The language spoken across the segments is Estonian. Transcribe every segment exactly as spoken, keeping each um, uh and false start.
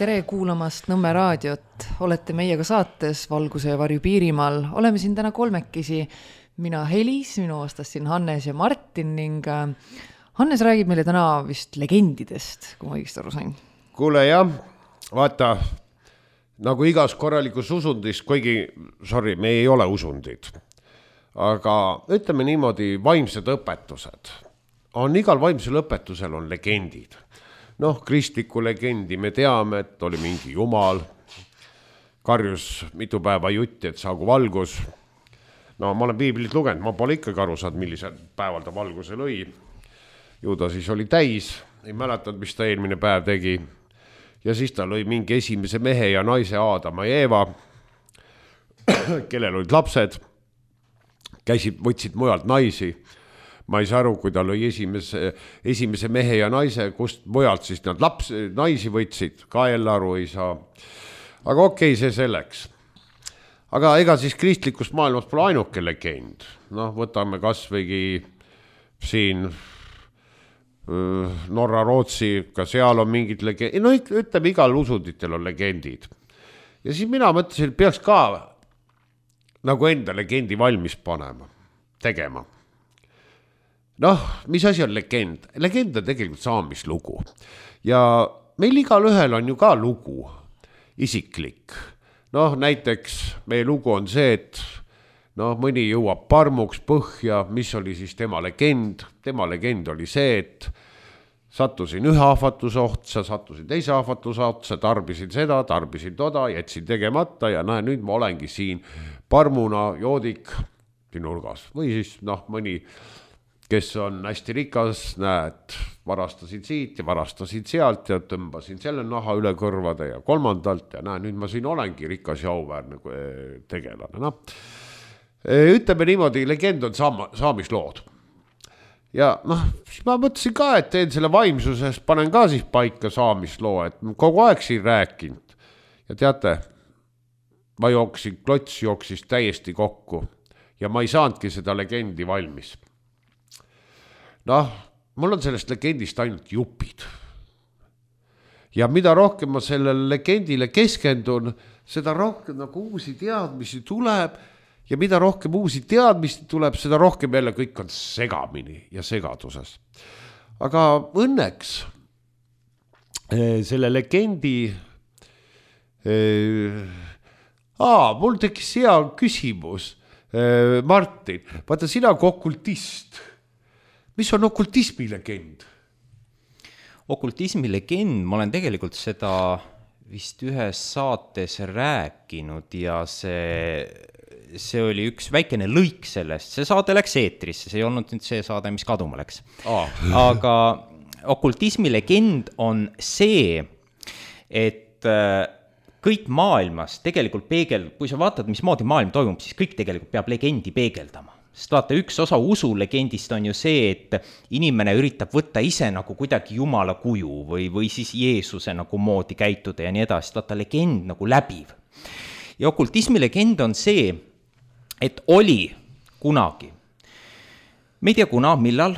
Tere kuulamast Nõmme raadiot. Olete meiega saates Valguse ja varju Piirimaal. Oleme siin täna kolmekesi. Mina Helis, minu vastas siin Hannes ja Martin ning Hannes räägib meile täna vist legendidest, kui ma õigesti aru sain. Kuule jah, vaata, nagu igas korralikus usundis, kuigi, sorry, me ei ole usundid, aga ütleme niimoodi, vaimsed õpetused. On igal vaimsel õpetusel on legendid. Noh, kristliku legendi me teame, et oli mingi jumal, karjus mitu päeva jutti, et saagu valgus. No ma olen piiblit lugenud, ma pole ikkagi aru saanud, millisel päeval ta valguse lõi. Ju ta siis oli täis, ei mäletanud, mis ta eelmine päev tegi. Ja siis ta lõi mingi esimese mehe ja naise Aadama ja Eeva, kellel olid lapsed, käisid, võtsid mujalt naisi. Ma ei saa aru, kui ta lõi esimese, esimese mehe ja naise, kust mujalt siis nad laps, naisi võtsid, ka jälle aru ei saa. Aga okei, see selleks. Aga ega siis kristlikus maailmas pole ainuke legend. Noh, võtame kas võigi siin Norra, Rootsi, ka seal on mingid legendid. No ütleme, igal usunditel on legendid. Ja siis mina mõtlesin, et peaks ka nagu enda legendi valmis panema, tegema. Noh, mis asi on legend? Legend on tegelikult saamislugu. Ja meil igal ühel on ju ka lugu, isiklik. Noh, näiteks meie lugu on see, et noh, mõni jõuab parmuks põhja, mis oli siis tema legend. Tema legend oli see, et sattusin ühe ahvatuse otsa, sattusin teise ahvatuse otsa, tarbisin seda, tarbisin toda, jätsin tegemata ja näe, nüüd ma olengi siin parmuna joodik siin nurgas. Või siis noh, mõni kes on hästi rikas, näed, varastasin siit ja varastasin sealt ja tõmbasin selle naha üle kõrvade ja kolmandalt ja näe, nüüd ma siin olengi rikas ja auväärne tegelane. No. Ütleme niimoodi, legend on saama, saamislood. Ja noh, siis ma mõtlesin ka, et teen selle vaimsusest, panen ka siis paika saamisloo, et kogu aeg siin rääkinud. Ja teate, ma jooksin, klots jooksis täiesti kokku ja ma ei saanudki seda legendi valmis. Noh, mul on sellest legendist ainult jupid. Ja mida rohkem ma sellele legendile keskendun, seda rohkem nagu uusi teadmisi tuleb ja mida rohkem uusi teadmisi tuleb, seda rohkem jälle kõik on segamini ja segaduses. Aga õnneks selle legendi aa, mul tekkis hea küsimus, Martin, vaata sina kui okultist. Mis on okultismi legend? Okultismi legend, ma olen tegelikult seda vist ühes saates rääkinud ja see, see oli üks väikene lõik sellest. See saade läks eetrisse, see ei olnud nüüd see saade, mis kaduma läks. Ah. Aga okultismi legend on see, et kõik maailmas tegelikult peegel, kui sa vaatad, mismoodi maailm toimub, siis kõik tegelikult peab legendi peegeldama. Sest vaata, üks osa usulegendist on ju see, et inimene üritab võtta ise nagu kuidagi Jumala kuju või, või siis Jeesuse nagu moodi käituda ja nii edasi. Vaata, legend nagu läbiv. Ja okultismi legend on see, et oli kunagi, me ei tea kuna, millal,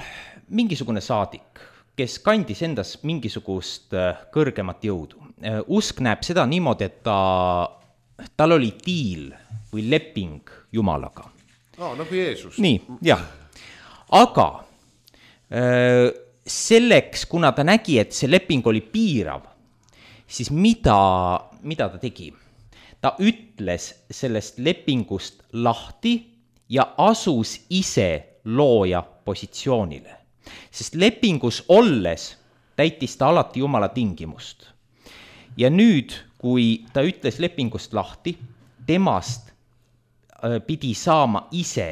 mingisugune saadik, kes kandis endas mingisugust kõrgemat jõudu. Usk näeb seda niimoodi, et ta, tal oli diil või leping Jumalaga. No, nagu Jeesus. Nii, jah. Aga selleks, kuna ta nägi, et see leping oli piirav, siis mida, mida ta tegi? Ta ütles sellest lepingust lahti ja asus ise looja positsioonile. Sest lepingus olles täitis ta alati Jumala tingimust. Ja nüüd, kui ta ütles lepingust lahti, temast pidi saama ise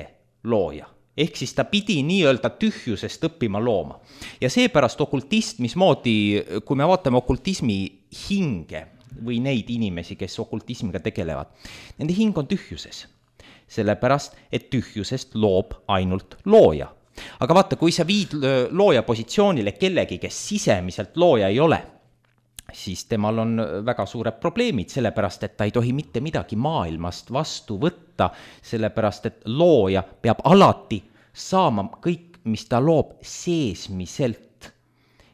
looja. Ehk siis ta pidi nii-öelda tühjusest õppima looma. Ja seepärast okultist, mismoodi, kui me vaatame okultismi hinge või neid inimesi, kes okultismiga tegelevad, nende hing on tühjuses. Sellepärast, et tühjusest loob ainult looja. Aga vaata, kui sa viid looja positsioonile kellegi, kes sisemiselt looja ei ole, siis temal on väga suured probleemid, sellepärast, et ta ei tohi mitte midagi maailmast vastu võtta, sellepärast, et looja peab alati saama kõik, mis ta loob seesmiselt.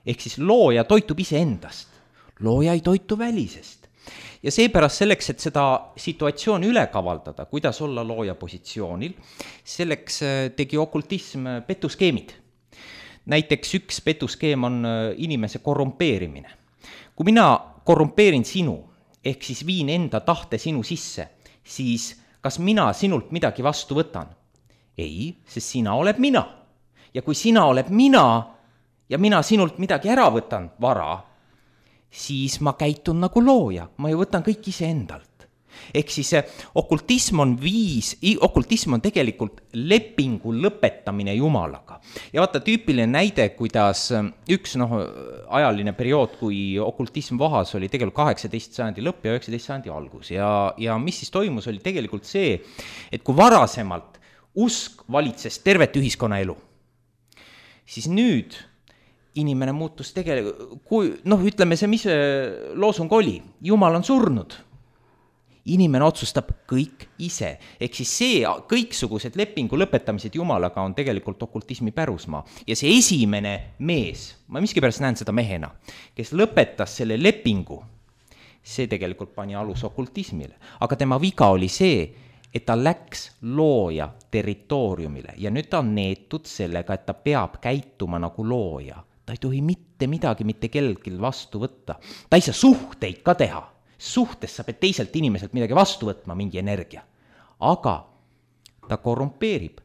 Ehk siis looja toitub ise endast. looja ei toitu välisest. Ja seepärast selleks, et seda situatsiooni üle kavaldada, kuidas olla looja positsioonil, selleks tegi okultism petuskeemid. Näiteks üks petuskeem on inimese korrumpeerimine. Kui mina korrumpeerin sinu, ehk siis viin enda tahte sinu sisse, siis kas mina sinult midagi vastu võtan? Ei, sest sina oled mina. Ja kui sina oled mina ja mina sinult midagi ära võtan vara, siis ma käitun nagu looja, ma ju võtan kõik ise endalt. Ehk siis okultism on viis, okultism on tegelikult lepingu lõpetamine Jumalaga. Ja vaata tüüpiline näide, kuidas üks noh, ajaline periood, kui okultism vahas oli tegelikult kaheksateist sajandi lõpp ja üheksateist sajandi algus. Ja, ja mis siis toimus, oli tegelikult see, et kui varasemalt usk valitses tervet ühiskonna elu, siis nüüd inimene muutus tegelikult, kui, noh, ütleme see, mis loosung oli, Jumal on surnud. Inimene otsustab kõik ise. Ehk siis see kõiksugused lepingu lõpetamised Jumalaga on tegelikult okultismi pärusmaa. Ja see esimene mees, ma miskipärast näen seda mehena, kes lõpetas selle lepingu, see tegelikult pani alus okultismile. Aga tema viga oli see, et ta läks looja territooriumile ja nüüd ta on neetud sellega, et ta peab käituma nagu looja. Ta ei tohi mitte midagi mitte kellelgi vastu võtta. Ta ei saa suhteid ka teha. Suhtes sa pead teiselt inimeselt midagi vastu võtma, mingi energia. Aga ta korrumpeerib.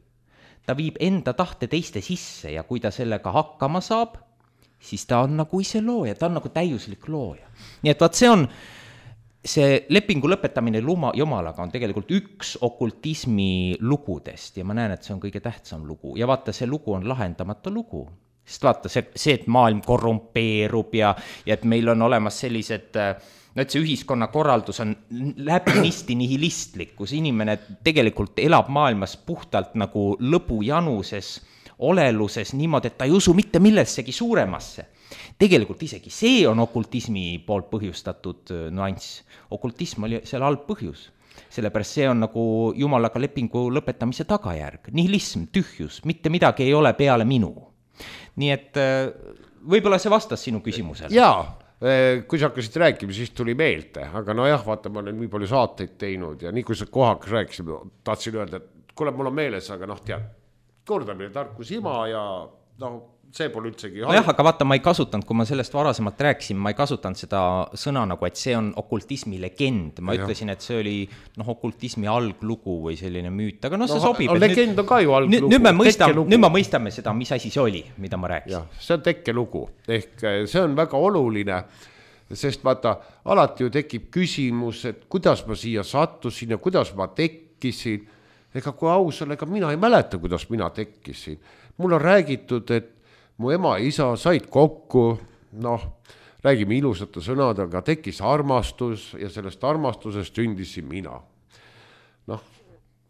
Ta viib enda tahte teiste sisse ja kui ta sellega hakkama saab, siis ta on nagu ise looja, ta on nagu täiuslik looja. Nii et vaat see on, see lepingu lõpetamine luma, Jumalaga on tegelikult üks okultismi lugudest ja ma näen, et see on kõige tähtsam lugu. Ja vaata, see lugu on lahendamata lugu. Sest vaata, see, see et maailm korrumpeerub ja, ja et meil on olemas sellised... No, et see ühiskonna korraldus on läbinisti nihilistlik, kus inimene tegelikult elab maailmas puhtalt nagu lõbujanuses, oleluses, niimoodi, et ta ei usu mitte millessegi suuremasse. Tegelikult isegi see on okultismi poolt põhjustatud nüanss. Okultism oli seal halb põhjus. Sellepärast see on nagu Jumalaga lepingu lõpetamise tagajärg. Nihilism, tühjus, mitte midagi ei ole peale minu. Nii et võib-olla see vastas sinu küsimusele. Jaa. Kui sa hakkasid rääkima, siis tuli meelde, aga no jah, vaata, ma olen nii palju saateid teinud ja nii kui sa kohakas rääkisid, tahtsin öelda, et kuule, mul on meeles, aga noh, tead, kordamine tarkus ima ja noh, see pole üldsegi... No jah, aga vaata, ma ei kasutanud, kui ma sellest varasemalt rääkisin, ma ei kasutanud seda sõna nagu, et see on okultismi legend. Ma ja. ütlesin, et see oli noh, okultismi alglugu või selline müüt, aga noh, see no, sobib. Legend nüüd, on ka ju alglugu. Nüüd me, mõistam, nüüd me mõistame seda, mis asi see oli, mida ma rääkisin. Ja, see on tekkelugu. Ehk see on väga oluline, sest vaata, alati ju tekib küsimus, et kuidas ma siia sattusin ja kuidas ma tekkisin. Ega kui aus on, ega mina ei mäleta, kuidas mina tekkisin. Mul on räägitud, et mu ema ja isa said kokku, noh, räägime ilusate sõnadega, tekkis armastus ja sellest armastusest sündisin mina. Noh,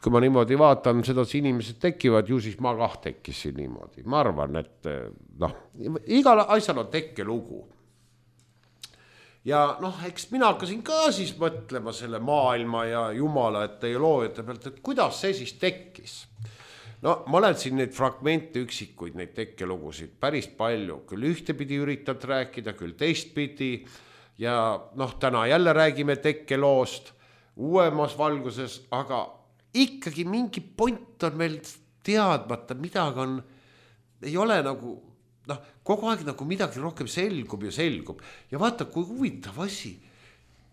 kui ma niimoodi vaatan, seda inimesed tekivad, ju siis ma kah tekkisin niimoodi. Ma arvan, et noh, igal asjal on tekkelugu. Ja noh, eks mina hakkasin ka siis mõtlema selle maailma ja Jumala, et teie loojate pealt, et kuidas see siis tekkis. No ma olen siin neid fragmente üksikuid, neid tekkelugusid päris palju, küll ühtepidi üritad rääkida, küll teistpidi ja noh, täna jälle räägime tekkeloost uuemas valguses, aga ikkagi mingi point on meil teadmata, midagi on, ei ole nagu, noh, kogu aeg nagu midagi rohkem selgub ja selgub ja vaata, kui huvitav asi,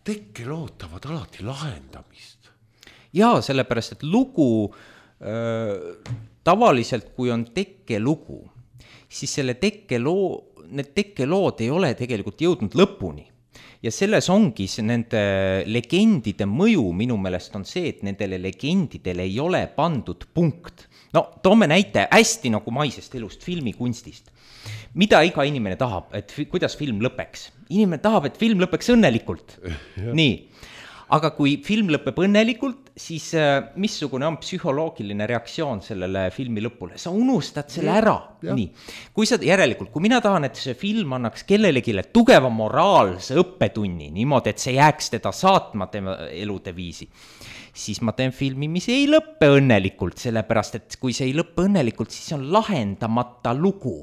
tekkelootavad alati lahendamist. Jaa, sellepärast, et lugu tavaliselt, kui on tekkelugu, siis selle tekkeloo, need tekkelood ei ole tegelikult jõudnud lõpuni. Ja selles ongi see nende legendide mõju minu meelest on see, et nendele legendidele ei ole pandud punkt. No, toome näite hästi nagu maisest elust, filmikunstist. Mida iga inimene tahab, et kuidas film lõpeks? Inimene tahab, et film lõpeks õnnelikult. Nii. Aga kui film lõpeb õnnelikult, siis missugune on psühholoogiline reaktsioon sellele filmi lõpule? Sa unustad selle ära. Nii. Kui sa järelikult, kui mina tahan, et see film annaks kellelegile tugeva moraalse õppetunni, niimoodi, et see jääks teda saatma tema elude viisi, siis ma teen filmi, mis ei lõppe õnnelikult, sellepärast, et kui see ei lõppe õnnelikult, siis on lahendamata lugu.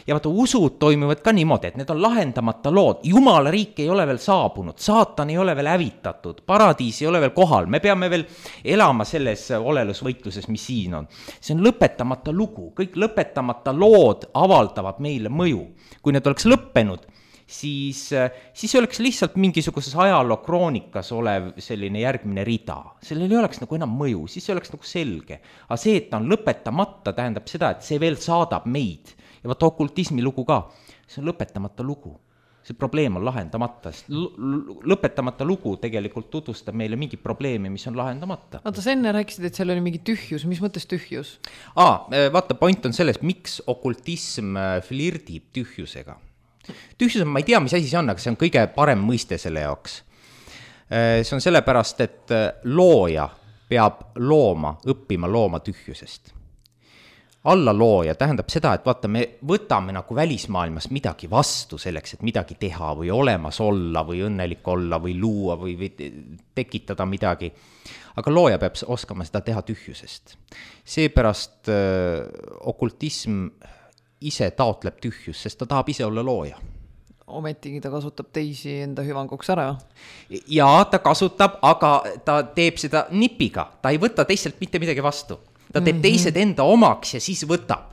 ja vaata, usud toimuvad ka niimoodi, et need on lahendamata lood, jumala riik ei ole veel saabunud, saatan ei ole veel hävitatud, paradiis ei ole veel kohal, me peame veel elama selles olelusvõitluses, mis siin on. See on lõpetamata lugu, kõik lõpetamata lood avaldavad meile mõju. Kui need oleks lõppenud, siis, siis oleks lihtsalt mingisuguses ajaloo kroonikas olev selline järgmine rida. Sellel ei oleks nagu enam mõju, siis see oleks nagu selge. Aga see, et ta on lõpetamata, tähendab seda, et see veel saadab meid. Ja vaata okultismi lugu ka, see on lõpetamata lugu. See probleem on lahendamata. Lõpetamata lugu tegelikult tutvustab meile mingi probleemi, mis on lahendamata. Oota, sa enne rääkisid, et seal oli mingi tühjus. Mis mõttes tühjus? Aa, vaata, point on selles, miks okultism flirdib tühjusega. Tühjus on, ma ei tea, mis asi see on, aga see on kõige parem mõiste selle jaoks. See on sellepärast, et looja peab looma, õppima looma tühjusest. Alla looja tähendab seda, et vaata, me võtame nagu välismaailmas midagi vastu selleks, et midagi teha või olemas olla või õnnelik olla või luua või, või tekitada midagi. Aga looja peab oskama seda teha tühjusest. Seepärast äh, okultism ise taotleb tühjus, sest ta tahab ise olla looja. Ometigi ta kasutab teisi enda hüvanguks ära. Ja ta kasutab, aga ta teeb seda nipiga. Ta ei võta teistelt mitte midagi vastu. Ta teeb teised enda omaks ja siis võtab.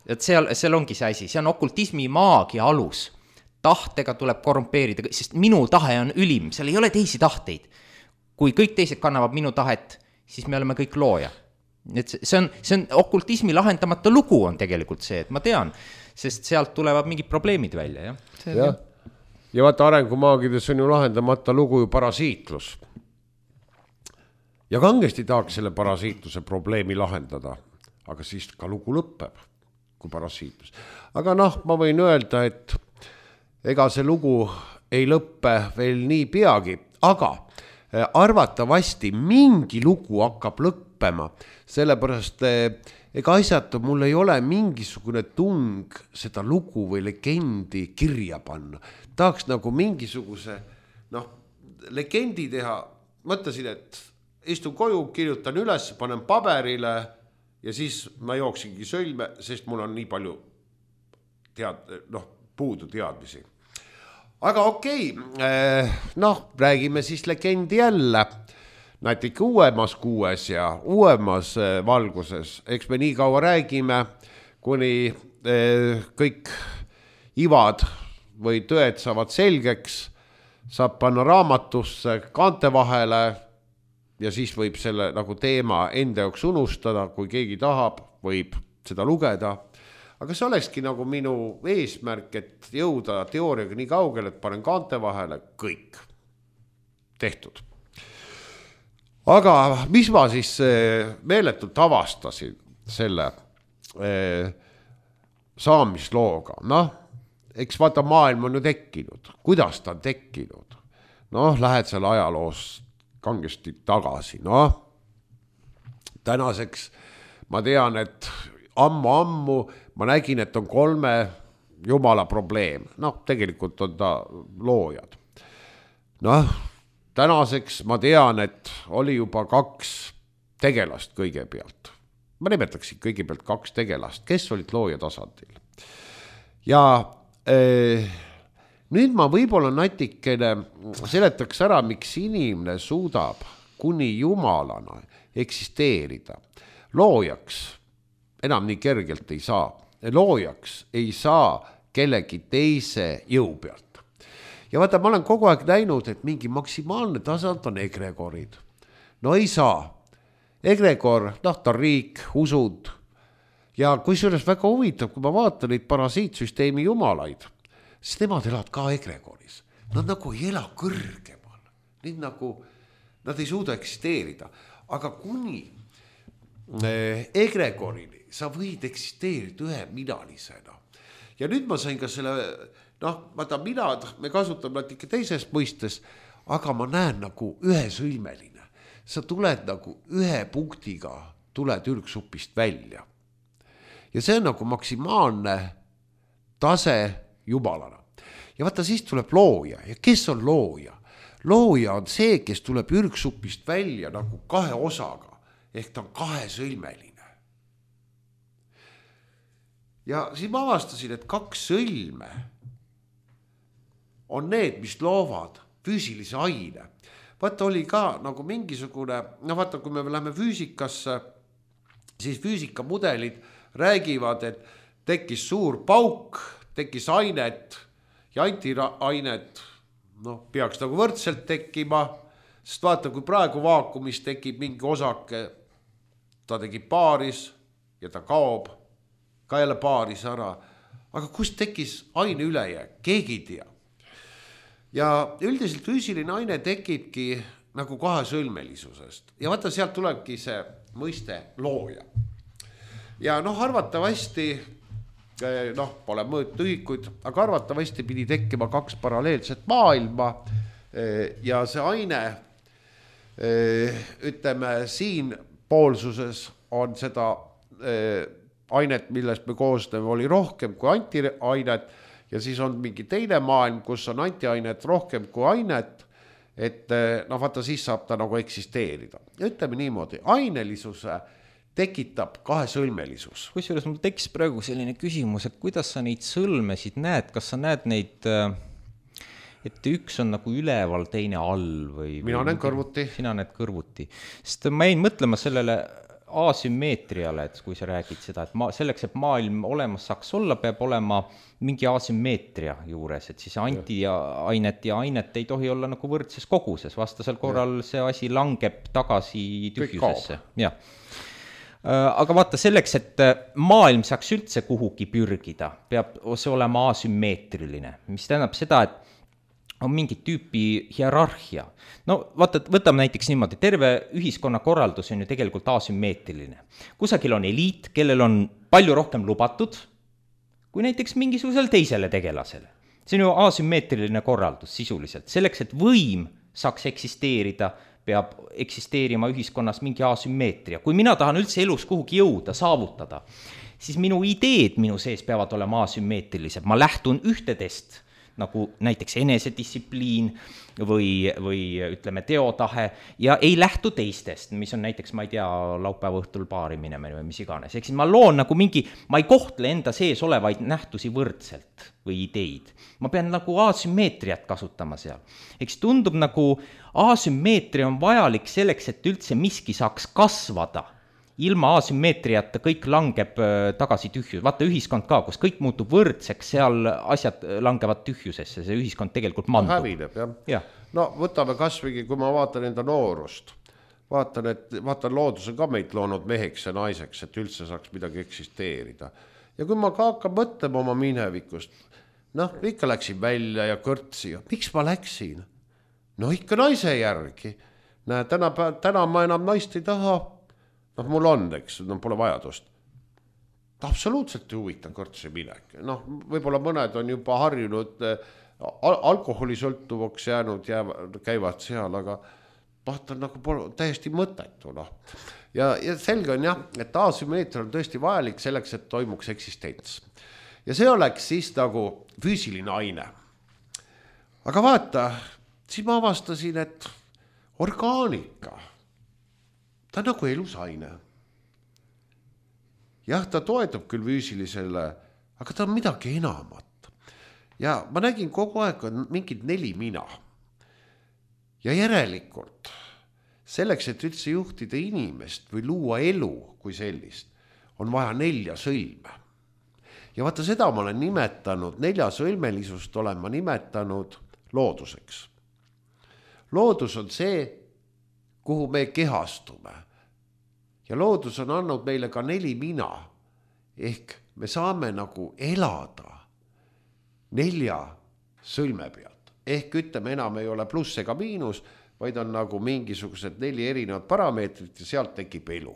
Et seal, seal ongi see asi. See on okultismi maagia alus. Tahtega tuleb korrumpeerida, sest minu tahe on ülim. Seal ei ole teisi tahteid. Kui kõik teised kannavad minu tahet, siis me oleme kõik looja. Et see on, see on okultismi lahendamata lugu on tegelikult see, et ma tean, sest sealt tulevad mingid probleemid välja. Ja, ja. ja vaata arengumaagides on ju lahendamata lugu ju parasiitlus. Ja kangesti tahaks selle parasiitluse probleemi lahendada, aga siis ka lugu lõpeb, kui parasiitlus. Aga noh, ma võin öelda, et ega see lugu ei lõppe veel nii peagi, aga arvatavasti mingi lugu hakkab lõppema, sellepärast ega asjata mul ei ole mingisugune tung seda lugu või legendi kirja panna. Tahaks nagu mingisuguse noh, legendi teha, mõtlesin, et istun koju, kirjutan üles, panen paberile ja siis ma jooksingi sõlme, sest mul on nii palju tead, noh, puudu teadmisi. Aga okei, noh, räägime siis legendi jälle. Natuke uuemas kuues ja uuemas valguses. Eks me nii kaua räägime, kuni kõik ivad või tõed saavad selgeks, saab panna raamatusse kaante vahele ja siis võib selle nagu teema enda jaoks unustada, kui keegi tahab, võib seda lugeda. Aga see olekski nagu minu eesmärk, et jõuda teooriaga nii kaugel, et panen kaante vahele kõik tehtud. Aga mis ma siis meeletult avastasin selle eh, saamislooga? Noh, eks vaata maailm on ju tekkinud. Kuidas ta on tekkinud? Noh, lähed seal ajaloos kangesti tagasi, noh, tänaseks ma tean, et ammu-ammu ma nägin, et on kolme jumala probleem, noh, tegelikult on ta loojad. Noh, tänaseks ma tean, et oli juba kaks tegelast kõigepealt, ma nimetaksin kõigepealt kaks tegelast, kes olid looja tasandil. Ja eh, nüüd ma võib-olla natikene seletaks ära, miks inimene suudab kuni jumalana eksisteerida. Loojaks enam nii kergelt ei saa. Loojaks ei saa kellegi teise jõu pealt. Ja vaata, ma olen kogu aeg näinud, et mingi maksimaalne tasand on egregorid. No ei saa. Egregor, noh, ta riik, usud. Ja kui selles väga huvitav, kui ma vaatan neid parasiitsüsteemi jumalaid, siis nemad elavad ka egregoris. Nad nagu ei ela kõrgemal. Need nagu, nad ei suuda eksisteerida. Aga kuni eh, egregorini sa võid eksisteerida ühe minalisena. Ja nüüd ma sain ka selle, noh, vaata minad, me kasutame natuke teises mõistes, aga ma näen nagu ühesõlmeline. Sa tuled nagu ühe punktiga, tuled ürgsupist välja. Ja see on nagu maksimaalne tase jumalana. Ja vaata, siis tuleb looja. Ja kes on looja? Looja on see, kes tuleb ürgsupist välja nagu kahe osaga. Ehk ta on kahesõlmeline. ja siis ma avastasin, et kaks sõlme on need, mis loovad füüsilise aine. Vaata oli ka nagu mingisugune, no vaata, kui me läheme füüsikasse, siis füüsikamudelid räägivad, et tekkis suur pauk, tekkis ainet ja antiainet, noh, peaks nagu võrdselt tekkima, sest vaata, kui praegu vaakumis tekib mingi osake, ta tekib paaris ja ta kaob, ka jälle paaris ära. Aga kust tekkis aine ülejääk? Keegi ei tea. Ja üldiselt füüsiline aine tekibki nagu kahesõlmelisusest. Ja vaata, sealt tulebki see mõiste looja. Ja noh, arvatavasti, noh, pole mõõtühikuid, aga arvatavasti pidi tekkima kaks paralleelset maailma ja see aine, ütleme, siin poolsuses on seda ainet, millest me koosneme, oli rohkem kui antiainet ja siis on mingi teine maailm, kus on antiainet rohkem kui ainet, et noh, vaata, siis saab ta nagu eksisteerida. Ja ütleme niimoodi, ainelisuse tekitab kahesõlmelisus. Kusjuures mul tekkis praegu selline küsimus, et kuidas sa neid sõlmesid näed, kas sa näed neid, et üks on nagu üleval, teine all või... Mina näen kõrvuti. Sina näed kõrvuti. Sest ma jäin mõtlema sellele asümmeetriale, et kui sa räägid seda, et ma, selleks, et maailm olemas saaks olla, peab olema mingi asümmeetria juures, et siis antiainet ja ainet ei tohi olla nagu võrdses koguses, vastasel korral see asi langeb tagasi tühjusesse. Ja. Aga vaata, selleks, et maailm saaks üldse kuhugi pürgida, peab see olema asümmeetriline, mis tähendab seda, et on mingi tüüpi hierarhia. No vaata, võtame näiteks niimoodi, terve ühiskonna korraldus on ju tegelikult asümmeetriline. Kusagil on eliit, kellel on palju rohkem lubatud, kui näiteks mingisugusel teisele tegelasele. See on ju asümmeetriline korraldus sisuliselt. Selleks, et võim saaks eksisteerida, peab eksisteerima ühiskonnas mingi asümmeetria. Kui mina tahan üldse elus kuhugi jõuda, saavutada, siis minu ideed minu sees peavad olema asümmeetrilised. Ma lähtun ühtedest, nagu näiteks enesedistsipliin või, või ütleme teotahe ja ei lähtu teistest, mis on näiteks, ma ei tea, laupäeva õhtul baari minemine või mis iganes. Ehk siis ma loon nagu mingi, ma ei kohtle enda sees olevaid nähtusi võrdselt või ideid. Ma pean nagu asümmeetriat kasutama seal. Ehk siis tundub nagu asümmeetria on vajalik selleks, et üldse miski saaks kasvada. Ilma asümmeetriata kõik langeb tagasi tühjus. Vaata ühiskond ka, kus kõik muutub võrdseks, seal asjad langevad tühjusesse, see ühiskond tegelikult mandub. Hävineb, jah. Ja. No võtame kasvõi, kui ma vaatan enda noorust, vaatan, et vaatan looduse ka meid loonud meheks ja naiseks, et üldse saaks midagi eksisteerida. Ja kui ma ka hakkan mõtlema oma minevikust, noh, ikka läksin välja ja kõrtsi ja miks ma läksin? No ikka naise järgi. Näe, täna, täna ma enam naist ei taha. Noh, mul on, eks, no pole vajadust. Absoluutselt huvitav kõrtsi minek. Noh, võib-olla mõned on juba harjunud al alkoholisõltuvaks jäänud ja käivad seal, aga vaatan nagu pole täiesti mõttetu. No. Ja, ja selge on jah, et asümmeetria on tõesti vajalik selleks, et toimuks eksistents. Ja see oleks siis nagu füüsiline aine. Aga vaata, siis ma avastasin, et orgaanika, ta on nagu elusaine. Jah, ta toetub küll füüsilisele, aga ta on midagi enamat. Ja ma nägin kogu aeg on mingid neli mina. Ja järelikult, selleks, et üldse juhtida inimest või luua elu kui sellist, on vaja nelja sõlme. Ja vaata seda ma olen nimetanud, nelja sõlmelisust olen ma nimetanud looduseks. Loodus on see, kuhu me kehastume. Ja loodus on andnud meile ka neli mina, ehk me saame nagu elada nelja sõlme pealt. Ehk ütleme, enam ei ole pluss ega miinus, vaid on nagu mingisugused neli erinevad parameetrit ja sealt tekib elu.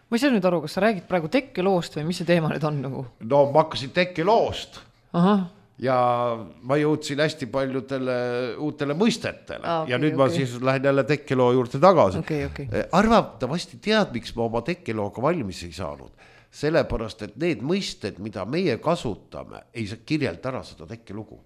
Ma ei saa nüüd aru, kas sa räägid praegu tekkeloost või mis see teema nüüd on nagu? No ma hakkasin tekkeloost. Aha. Ja ma jõudsin hästi paljudele uutele mõistetele ah, okay, ja nüüd okay. ma siis lähen jälle tekkeloo juurde tagasi. Okay, okay. Arvatavasti tead, miks ma oma tekkelooga valmis ei saanud. Sellepärast, et need mõisted, mida meie kasutame, ei saa kirjelda ära seda tekkelugu.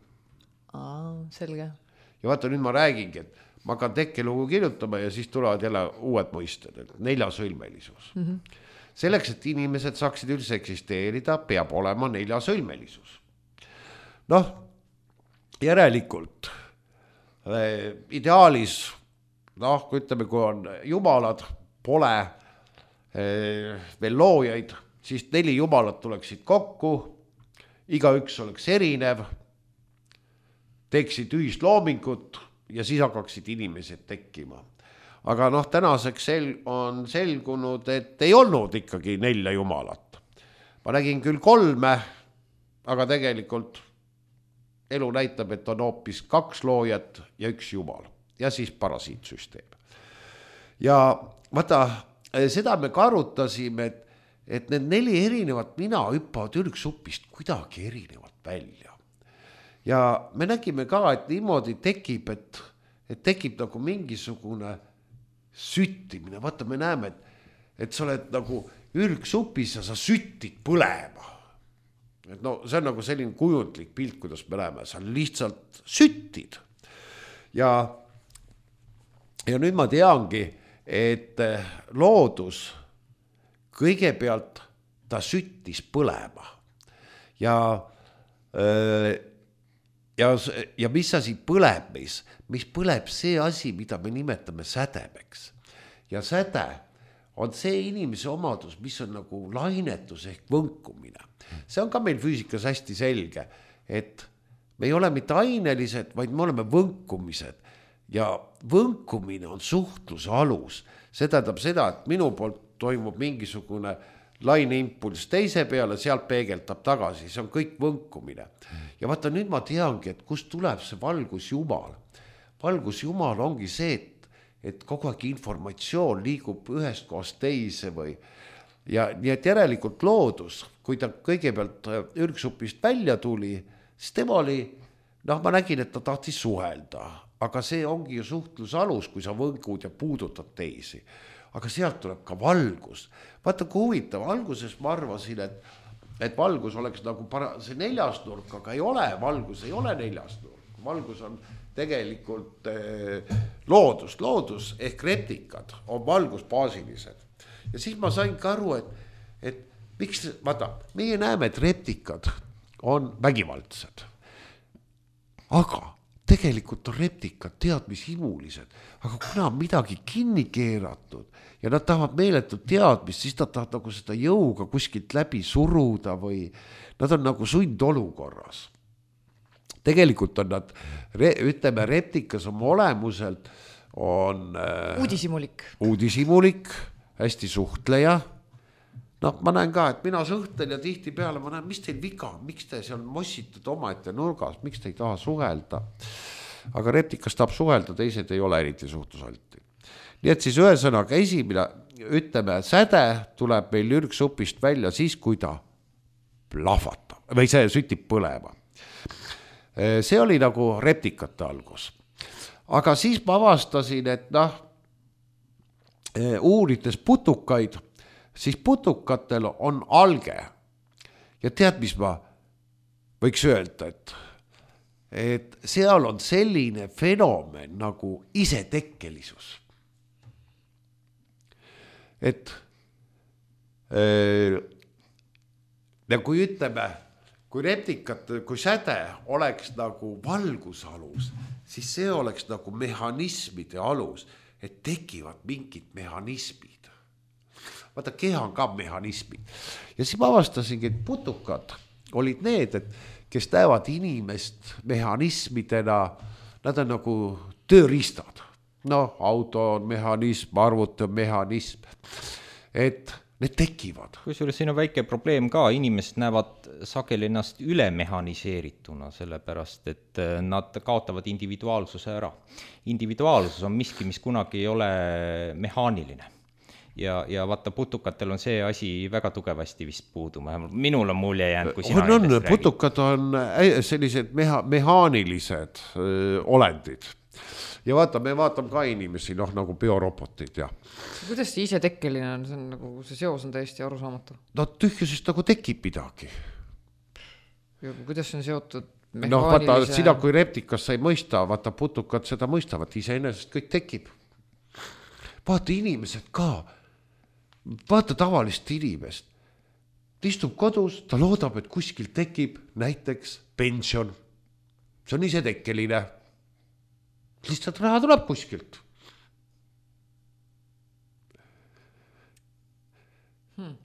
Aa, selge. Ja vaata, nüüd ma räägingi, et ma hakkan tekkelugu kirjutama ja siis tulevad jälle uued mõisted, et neljasõlmelisus. Mm-hmm. selleks, et inimesed saaksid üldse eksisteerida, peab olema neljasõlmelisus. Noh, järelikult äh, ideaalis, noh, kui ütleme, kui on jumalad, pole äh, veel loojaid, siis neli jumalat tuleksid kokku, igaüks oleks erinev, teeksid ühist loomingut ja siis hakkaksid inimesed tekkima. Aga noh, tänaseks sel- on selgunud, et ei olnud ikkagi nelja jumalat. Ma nägin küll kolme, aga tegelikult elu näitab, et on hoopis kaks loojat ja üks jumal ja siis parasiitsüsteem. Ja vaata, seda me ka arutasime, et, et need neli erinevat mina hüppavad ürgsupist kuidagi erinevat välja. Ja me nägime ka, et niimoodi tekib, et, et tekib nagu mingisugune süttimine. Vaata, me näeme, et, et sa oled nagu ürgsupis ja sa süttid põlema. Et no, see on nagu selline kujundlik pilt, kuidas me näeme. Sa lihtsalt süttid. Ja, ja nüüd ma teangi, et loodus kõigepealt ta süttis põlema. Ja öö, Ja, ja mis asi põleb meis? Mis põleb see asi, mida me nimetame sädemeks. Ja säde on see inimese omadus, mis on nagu lainetus ehk võnkumine. See on ka meil füüsikas hästi selge, et me ei ole mitte ainelised, vaid me oleme võnkumised. Ja võnkumine on suhtluse alus. See tähendab seda, et minu poolt toimub mingisugune laineimpulss teise peale, sealt peegeldab tagasi, see on kõik võnkumine. Ja vaata, nüüd ma teangi, et kust tuleb see valgusjumal. Valgusjumal ongi see, et, et kogu aeg informatsioon liigub ühest kohast teise või ja nii et järelikult loodus, kui ta kõigepealt ürgsupist välja tuli, siis tema oli, noh, ma nägin, et ta tahtis suhelda, aga see ongi ju suhtluse alus, kui sa võngud ja puudutad teisi. Aga sealt tuleb ka valgus. Vaata, kui huvitav, alguses ma arvasin, et, et valgus oleks nagu para, see neljasnurk, aga ei ole, valgus ei ole neljasnurk. Valgus on tegelikult eh, loodus, loodus ehk reptikad on valgusbaasilised. Ja siis ma sain ka aru, et, et miks, vaata, meie näeme, et reptikad on vägivaldsed. Aga tegelikult on reptikad teadmishimulised, aga kuna on midagi kinni keeratud ja nad tahavad meeletut teadmist, siis nad tahavad nagu seda jõuga kuskilt läbi suruda või nad on nagu sundolukorras. Tegelikult on nad, ütleme, reptikas oma olemuselt on uudishimulik. Uudishimulik, hästi suhtleja. No ma näen ka, et mina suhtlen ja tihti peale ma näen, mis teil viga, miks te seal mossitud omaette nurgas, miks te ei taha suhelda. Aga reptikas tahab suhelda, teised ei ole eriti suhtlusalti. Nii et siis ühesõnaga esimene, ütleme, säde tuleb meil ürgsupist välja siis, kui ta plahvatab või see sütib põlema. See oli nagu reptikate algus. Aga siis ma avastasin, et noh, uurides putukaid, siis putukatel on alge. Ja tead, mis ma võiks öelda, et, et seal on selline fenomen nagu isetekkelisus. Et äh, ja kui ütleme, kui reptikat, kui säde oleks nagu valgusalus, siis see oleks nagu mehhanismide alus, et tekivad mingid mehhanismid. Vaata, keha on ka mehhanismid. Ja siis ma avastasingi, et putukad olid need, et kes näevad inimest mehhanismidena, nad on nagu tööriistad. No, auto on mehhanism, arvuti on mehhanism. Et need tekivad. Kusjuures siin on väike probleem ka, inimesed näevad sageli ennast üle mehhaniseerituna, sellepärast, et nad kaotavad individuaalsuse ära. Individuaalsus on miski, mis kunagi ei ole mehaaniline. Ja, ja vaata, putukatel on see asi väga tugevasti vist puuduma. Minul on mulje jäänud, kui sina on, on, putukad on sellised meha, mehaanilised öö, olendid. Ja vaata, me vaatame ka inimesi, noh, nagu biorobotid. Ja. Kuidas see isetekkeline on? See, on nagu, see seos on täiesti arusaamatu. No tühjusest nagu tekib midagi. Ja kuidas on seotud mehaanilise... No vaata, sina kui reptikas sa ei mõista, vaata, putukad seda mõistavad, iseenesest kõik tekib. Vaata, inimesed ka. vaata tavalist inimest. Ta istub kodus, ta loodab, et kuskil tekib näiteks pension. See on isetekkeline. Lihtsalt raha tuleb kuskilt. Hmm.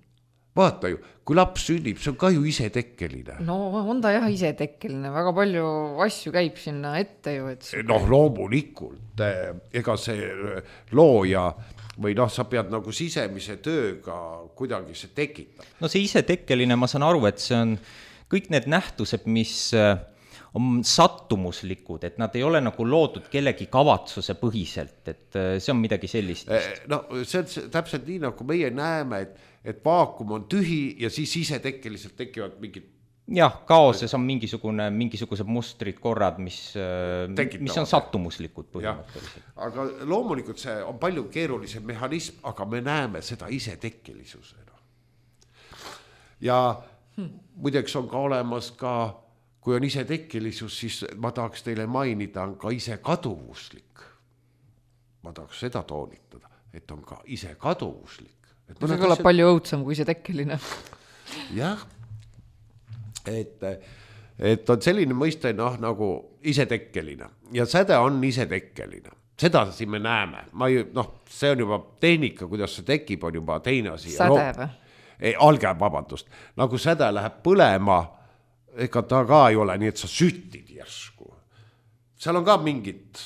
Vaata ju, kui laps sünnib, see on ka ju isetekkeline. No on ta jah isetekkeline, väga palju asju käib sinna ette ju. Et... noh, loomulikult, ega see looja või noh, sa pead nagu sisemise tööga kuidagi see tekitab. No see isetekkeline, ma saan aru, et see on kõik need nähtused, mis on sattumuslikud, et nad ei ole nagu loodud kellegi kavatsuse põhiselt, et see on midagi sellist. No see on täpselt nii, nagu meie näeme, et, et vaakum on tühi ja siis isetekkeliselt tekivad mingid... jah, kaoses on mingisugune, mingisugused mustrid, korrad, mis, mis on sattumuslikud põhimõtteliselt. Aga loomulikult see on palju keerulisem mehhanism, aga me näeme seda isetekkelisusena. Ja hmm. muideks on ka olemas ka kui on isetekkelisus, siis ma tahaks teile mainida, on ka ise kaduvuslik. Ma tahaks seda toonitada, et on ka ise kaduvuslik. Et see kõlab asjad... palju õudsam kui isetekkeline. jah, et, et on selline mõiste noh, nagu isetekkeline ja säde on isetekkeline. Seda siin me näeme. Ma ei, noh, see on juba tehnika, kuidas see tekib, on juba teine asi. Säde või? Ei, alge, vabandust. Nagu säde läheb põlema, ega ta ka ei ole nii, et sa süttid järsku. Seal on ka mingid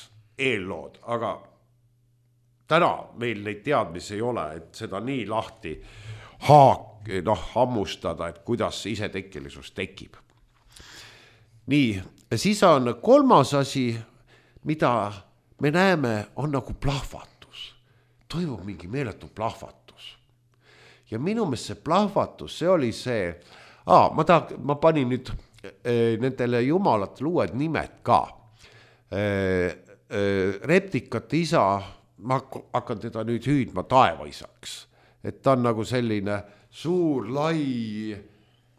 eellood, aga täna meil neid teadmisi ei ole, et seda nii lahti haak, noh, hammustada, et kuidas isetekkelisus tekib. Nii, siis on kolmas asi, mida me näeme, on nagu plahvatus. Toimub mingi meeletu plahvatus. Ja minu meelest see plahvatus, see oli see... Aa, ma, ta, ma panin nüüd e, nendele jumalatele uued nimed ka. E, e, reptikate isa, ma hakkan teda nüüd hüüdma taevaisaks. Et ta on nagu selline suur, lai,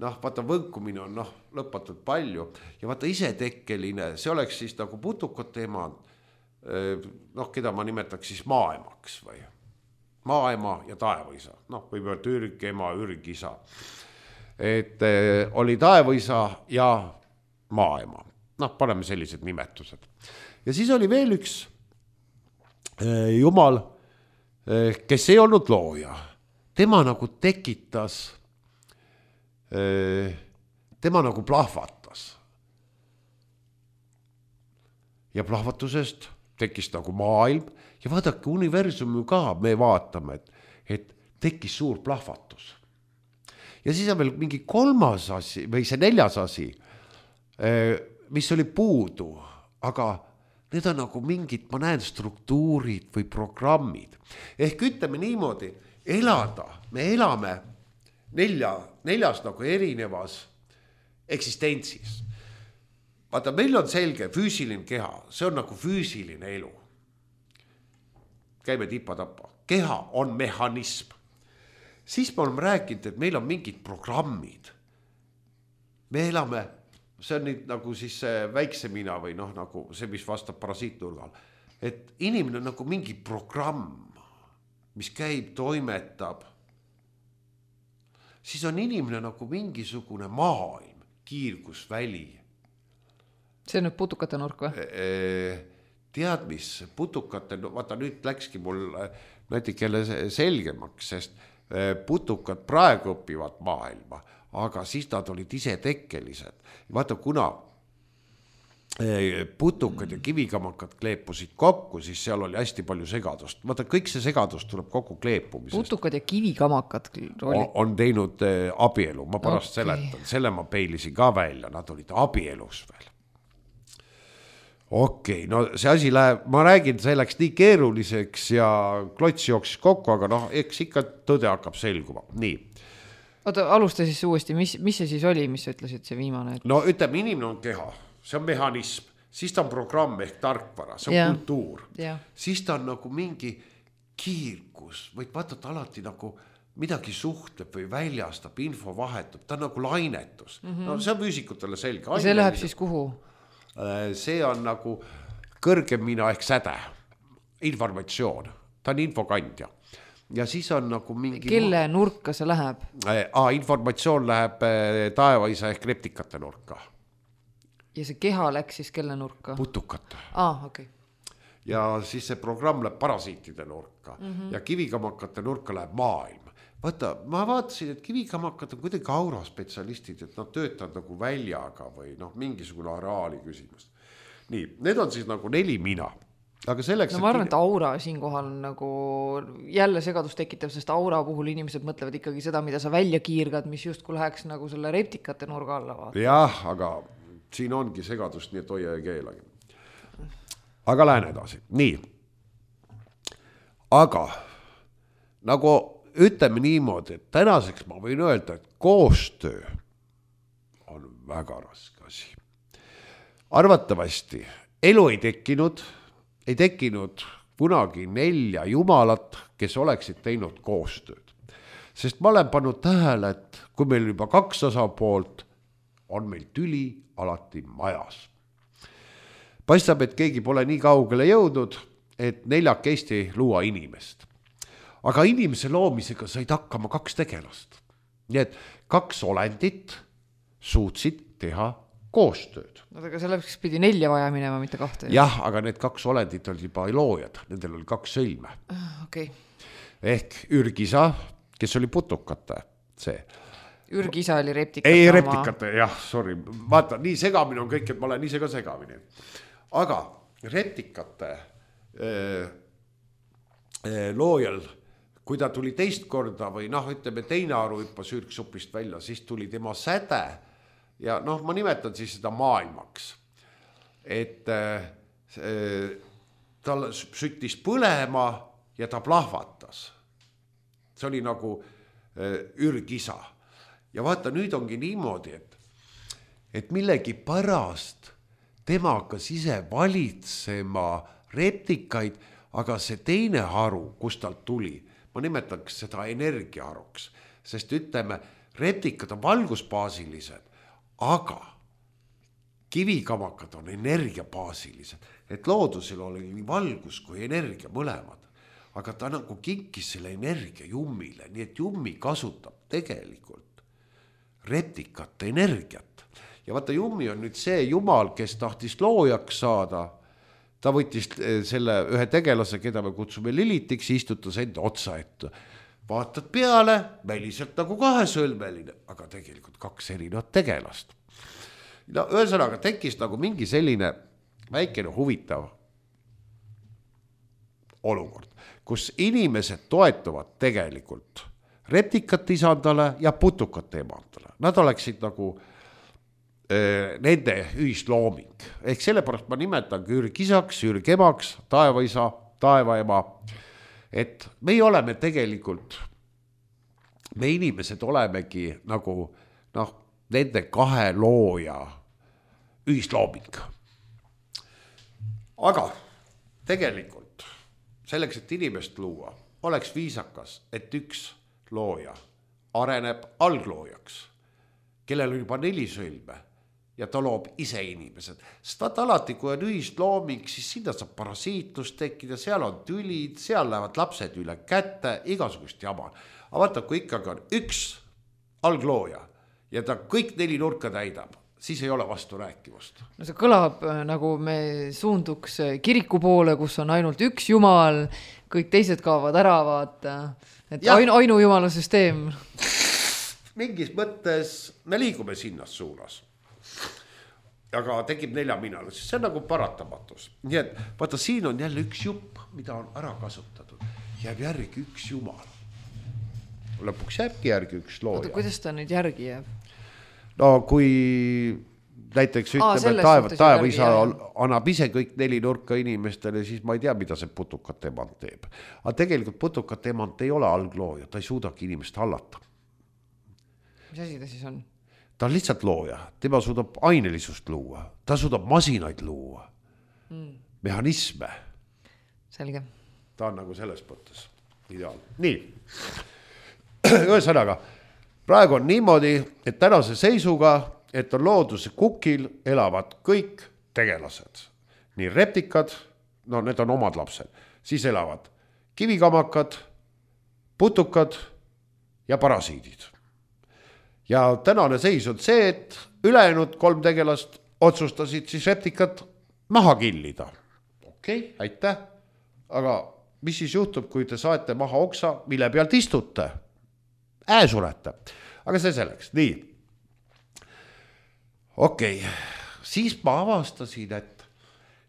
noh, vaata võnkumine on noh, lõpatult palju. Ja vaata isetekkeline, see oleks siis nagu putukate ema, e, noh, keda ma nimetaks siis maaemaks või. Maaema ja taevaisa, noh, võib öelda ürgema, ürgisa. Et eh, oli taevaisa ja maaema. Noh, paneme sellised nimetused. Ja siis oli veel üks eh, jumal, eh, kes ei olnud looja. Tema nagu tekitas, eh, tema nagu plahvatas. Ja plahvatusest tekkis nagu maailm. Ja vaadake, universumi ka me vaatame, et, et tekkis suur plahvatus. Ja siis on veel mingi kolmas asi, või see neljas asi, mis oli puudu, aga need on nagu mingid, ma näen, struktuurid või programmid. Ehk ütleme niimoodi, elada, me elame nelja, neljas nagu erinevas eksistentsis. Vaata, meil on selge füüsiline keha, see on nagu füüsiline elu. Käime tipa-tapa. Keha on mehhanism. Siis me oleme rääkinud, et meil on mingid programmid. Me elame, see on nüüd nagu siis väikse mina või noh, nagu see, mis vastab parasiitnurgal. Et inimene on nagu mingi programm, mis käib, toimetab. Siis on inimene nagu mingisugune maailm, kiirgusväli. See on nüüd putukate nurk või? Tead mis, putukate, vaata nüüd läkski mul natikele selgemaks, sest putukad praegu õpivad maailma, aga siis nad olid ise tekkelised. Vaata, kuna putukad ja kivikamakad kleepusid kokku, siis seal oli hästi palju segadust. Vaata, kõik see segadust tuleb kokku kleepumisest. Putukad ja kivikamakad on, on teinud abielu, ma pärast okay. seletan. Selle ma peilisin ka välja, nad olid abielus veel. Okei, okay, no see asi läheb, ma räägin, see läks nii keeruliseks ja klots jooksis kokku, aga noh, eks ikka tõde hakkab selguma. Nii. Oota, alusta siis uuesti, mis, mis see siis oli, mis sa ütlesid see viimane? Et... No ütleme, inimene on keha, see on mehhanism, siis ta on programm ehk tarkvara, see on ja. kultuur. Ja. Siis ta on nagu mingi kiirgus, võid vaadata alati nagu midagi suhtleb või väljastab, info vahetub, ta on nagu lainetus. Mm-hmm. No see on füüsikutele selge. Ja see läheb siis kuhu? See on nagu kõrgem mina ehk säde, informatsioon, ta on infokandja. ja siis on nagu mingi... Kelle nurka see läheb? Aa, informatsioon läheb taevaisa ehk reptikate nurka. Ja see keha läks siis kelle nurka? Putukate. Aa, okei. Okay. Ja siis see programm läheb parasiitide nurka mm-hmm. ja kivikamakate nurka läheb maailm. Vaata, ma vaatasin, et kivikamakad on kuidagi auraspetsialistid, et nad töötavad nagu väljaga või noh, mingisugune areaali küsimus. Nii, need on siis nagu neli mina. Aga selleks, no ma arvan, et aura siinkohal on nagu jälle segadust tekitav, sest aura puhul inimesed mõtlevad ikkagi seda, mida sa välja kiirgad, mis justkui läheks nagu selle reptikate nurga alla vaata. Jah, aga siin ongi segadust, nii et hoia ja keelagi. Aga lähen edasi. Nii. Aga nagu ütleme niimoodi, et tänaseks ma võin öelda, et koostöö on väga raske asi. Arvatavasti elu ei tekkinud, ei tekkinud kunagi nelja jumalat, kes oleksid teinud koostööd. Sest ma olen pannud tähele, et kui meil juba kaks osapoolt, on meil tüli alati majas. Paistab, et keegi pole nii kaugele jõudnud, et neljakesti luua inimest. Aga inimese loomisega said hakkama kaks tegelast. Nii et kaks olendit suutsid teha koostööd. No, aga selleks pidi nelja vaja minema, mitte kahte. Jah, aga need kaks olendit olid juba loojad. Nendel oli kaks sõlme. Okay. Ehk Ürgisa, kes oli putukate, see. Ürgisa oli reptikate. Ei, reptikate, jah, sorry. Vaata, nii segamine on kõik, et ma olen ise ka segamine. Aga reptikate äh, äh, loojal, kui ta tuli teist korda või noh, ütleme teine aru hüppas ürgsupist välja, siis tuli tema säde ja noh, ma nimetan siis seda maailmaks. Et äh, tal süttis põlema ja ta plahvatas. See oli nagu äh, ürgisa. Ja vaata, nüüd ongi niimoodi, et, et millegi pärast tema hakkas ise valitsema reptikaid, aga see teine haru, kus talt tuli, ma nimetaks seda energiaharuks, sest ütleme, reptikad on valgusbaasilised, aga kivikamakad on energiabaasilised, et loodusel oli nii valgus kui energia mõlemad, aga ta nagu kinkis selle energia jummile, nii et jummi kasutab tegelikult reptikate energiat. Ja vaata, jummi on nüüd see jumal, kes tahtis loojaks saada. Ta võttis selle ühe tegelase, keda me kutsume Lilitiks, istutas enda otsa ette. Vaatad peale, väliselt nagu kahesõlmeline, aga tegelikult kaks erinevat tegelast. No, ühesõnaga tekkis nagu mingi selline väikene huvitav olukord, kus inimesed toetuvad tegelikult reptikate isandale ja putukate emandale. Nad oleksid nagu nende ühislooming. Ehk sellepärast ma nimetan ürgisaks, ürgemaks, taevaisa, taevaema. Et me oleme tegelikult, me inimesed olemegi nagu noh, nende kahe looja ühislooming. Aga tegelikult selleks, et inimest luua, oleks viisakas, et üks looja areneb algloojaks, kellel on juba neli sõlme, ja ta loob ise inimesed. Sest vaata alati, kui on ühislooming, siis sinna saab parasiitlust tekkida, seal on tülid, seal lähevad lapsed üle kätte, igasugust jama. Aga vaata, kui ikkagi on üks alglooja ja ta kõik neli nurka täidab, siis ei ole vastu rääkivust. No see kõlab nagu me suunduks kiriku poole, kus on ainult üks jumal, kõik teised kaovad ära, vaata. Et ainu, ainu jumala süsteem. Mingis mõttes me liigume sinnas suunas. Aga tekib nelja minale, siis see on nagu paratamatus. Nii et vaata, siin on jälle üks jupp, mida on ära kasutatud. Jääb järgi üks jumal. Lõpuks jääbki järgi üks looja. Oota, kuidas ta nüüd järgi jääb? No kui näiteks ütleme, taeva, taevaisa annab ise kõik neli nurka inimestele, siis ma ei tea, mida see putukate emand teeb. Aga tegelikult putukate emand ei ole alglooja, ta ei suudagi inimest hallata. Mis asi ta siis on? Ta on lihtsalt looja, tema suudab ainelisust luua, ta suudab masinaid luua, mm. mehhanisme. Selge. Ta on nagu selles mõttes ideaal. Nii, ühesõnaga, praegu on niimoodi, et tänase seisuga, et on looduse kukil elavad kõik tegelased. Nii reptikad, no need on omad lapsed, siis elavad kivikamakad, putukad ja parasiidid. Ja tänane seis on see, et ülejäänud kolm tegelast otsustasid siis reptikad maha killida. Okei, okay, aitäh. Aga mis siis juhtub, kui te saete maha oksa, mille pealt istute? Ää surete. Aga see selleks. Nii. Okei. Okay. Siis ma avastasin, et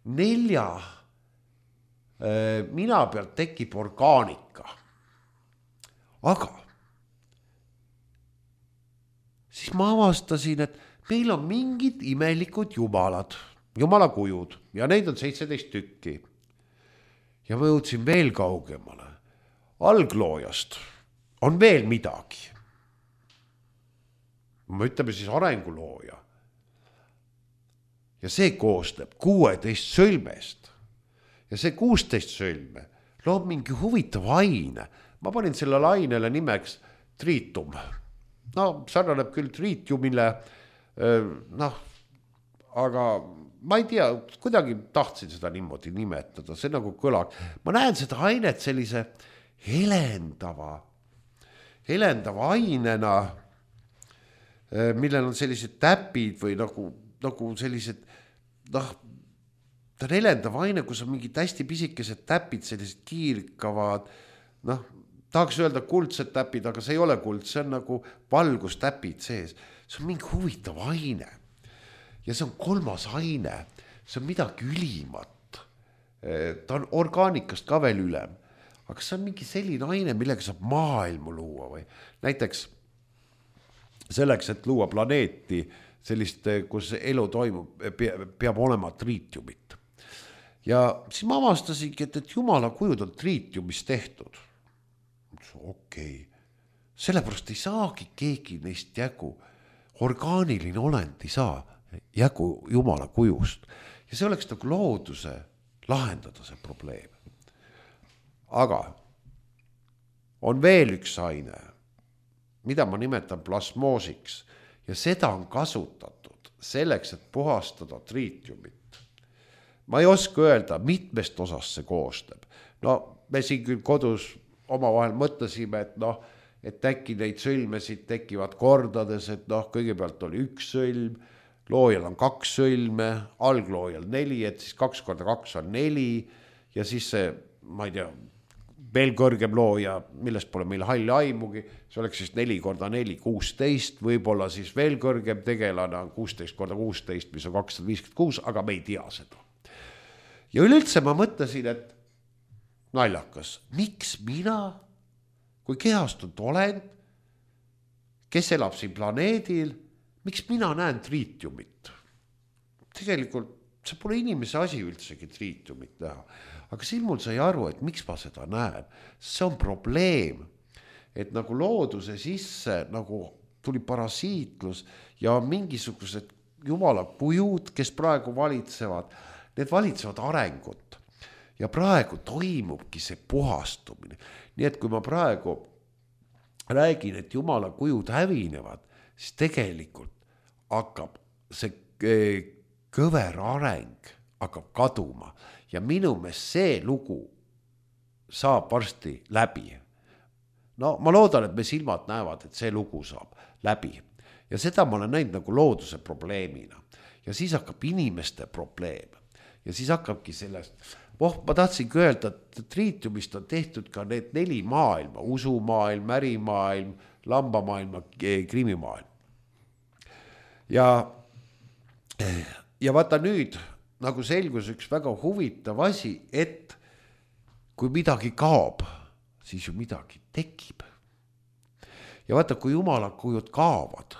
nelja äh, mina pealt tekib orgaanika. Aga siis ma avastasin, et meil on mingid imelikud jumalad, jumalakujud ja neid on seitseteist tükki. Ja ma jõudsin veel kaugemale. Algloojast on veel midagi. Ma ütleme siis arengulooja. Ja see koosneb kuueteist sõlmest. Ja see kuusteist sõlme loob mingi huvitav aine. Ma panin sellele ainele nimeks triitum. No, sarnaneb küll triitiumile, noh, aga ma ei tea, kuidagi tahtsin seda niimoodi nimetada, see nagu kõlag. Ma näen seda ainet sellise helendava, helendava ainena, millel on sellised täpid või nagu, nagu sellised, noh, ta on helendav aine, kus on mingid hästi pisikesed täpid, sellised kiirkavad, noh, tahaks öelda kuldsed täpid, aga see ei ole kuld, see on nagu valgustäpid sees. See on mingi huvitav aine. Ja see on kolmas aine, see on midagi ülimat. Ta on orgaanikast ka veel ülem. Aga see on mingi selline aine, millega saab maailmu luua või. Näiteks selleks, et luua planeeti, sellist, kus elu toimub, peab olema triitiumit. Ja siis ma avastasingi, et, et jumala kujud on triitiumist tehtud. Okei, okay. Sellepärast ei saagi keegi neist jägu. Orgaaniline olend ei saa jägu jumala kujust. Ja see oleks nagu looduse lahendada see probleem. Aga on veel üks aine, mida ma nimetan plasmoosiks. Ja seda on kasutatud selleks, et puhastada triitiumit. Ma ei oska öelda, mitmest osast see koosneb. No me siin küll kodus oma vahel mõtlesime, et noh, et äkki neid sõlmesid tekivad kordades, et noh, kõigepealt oli üks sõlm, loojal on kaks sõlme, algloojal neli, et siis kaks korda kaks on neli ja siis see, ma ei tea, veel kõrgem looja, millest pole meil halli aimugi, see oleks siis neli korda neli, kuusteist, võib-olla siis veel kõrgem tegelane on kuusteist korda kuusteist, mis on kakssada viiskümmend kuus, aga me ei tea seda. Ja üleüldse ma mõtlesin, et naljakas, miks mina, kui kehastunud olend, kes elab siin planeedil, miks mina näen triitiumit? Tegelikult see pole inimese asi üldsegi triitiumit näha. Aga siin mul sai aru, et miks ma seda näen. See on probleem, et nagu looduse sisse nagu tuli parasiitlus ja mingisugused jumala kujud, kes praegu valitsevad, need valitsevad arengut. Ja praegu toimubki see puhastumine. Nii et kui ma praegu räägin, et jumala kujud hävinevad, siis tegelikult hakkab see kõver areng hakkab kaduma. Ja minu meelest see lugu saab varsti läbi. No ma loodan, et me silmad näevad, et see lugu saab läbi. Ja seda ma olen näinud nagu looduse probleemina. Ja siis hakkab inimeste probleem. Ja siis hakkabki sellest... Oh, ma tahtsingi öelda, et triitiumist on tehtud ka need neli maailma, usumaailm, ärimaailm, lambamaailm, krimimaailm. Ja, ja vaata nüüd, nagu selgus üks väga huvitav asi, et kui midagi kaob, siis ju midagi tekib. Ja vaata, kui jumala kujud kaovad,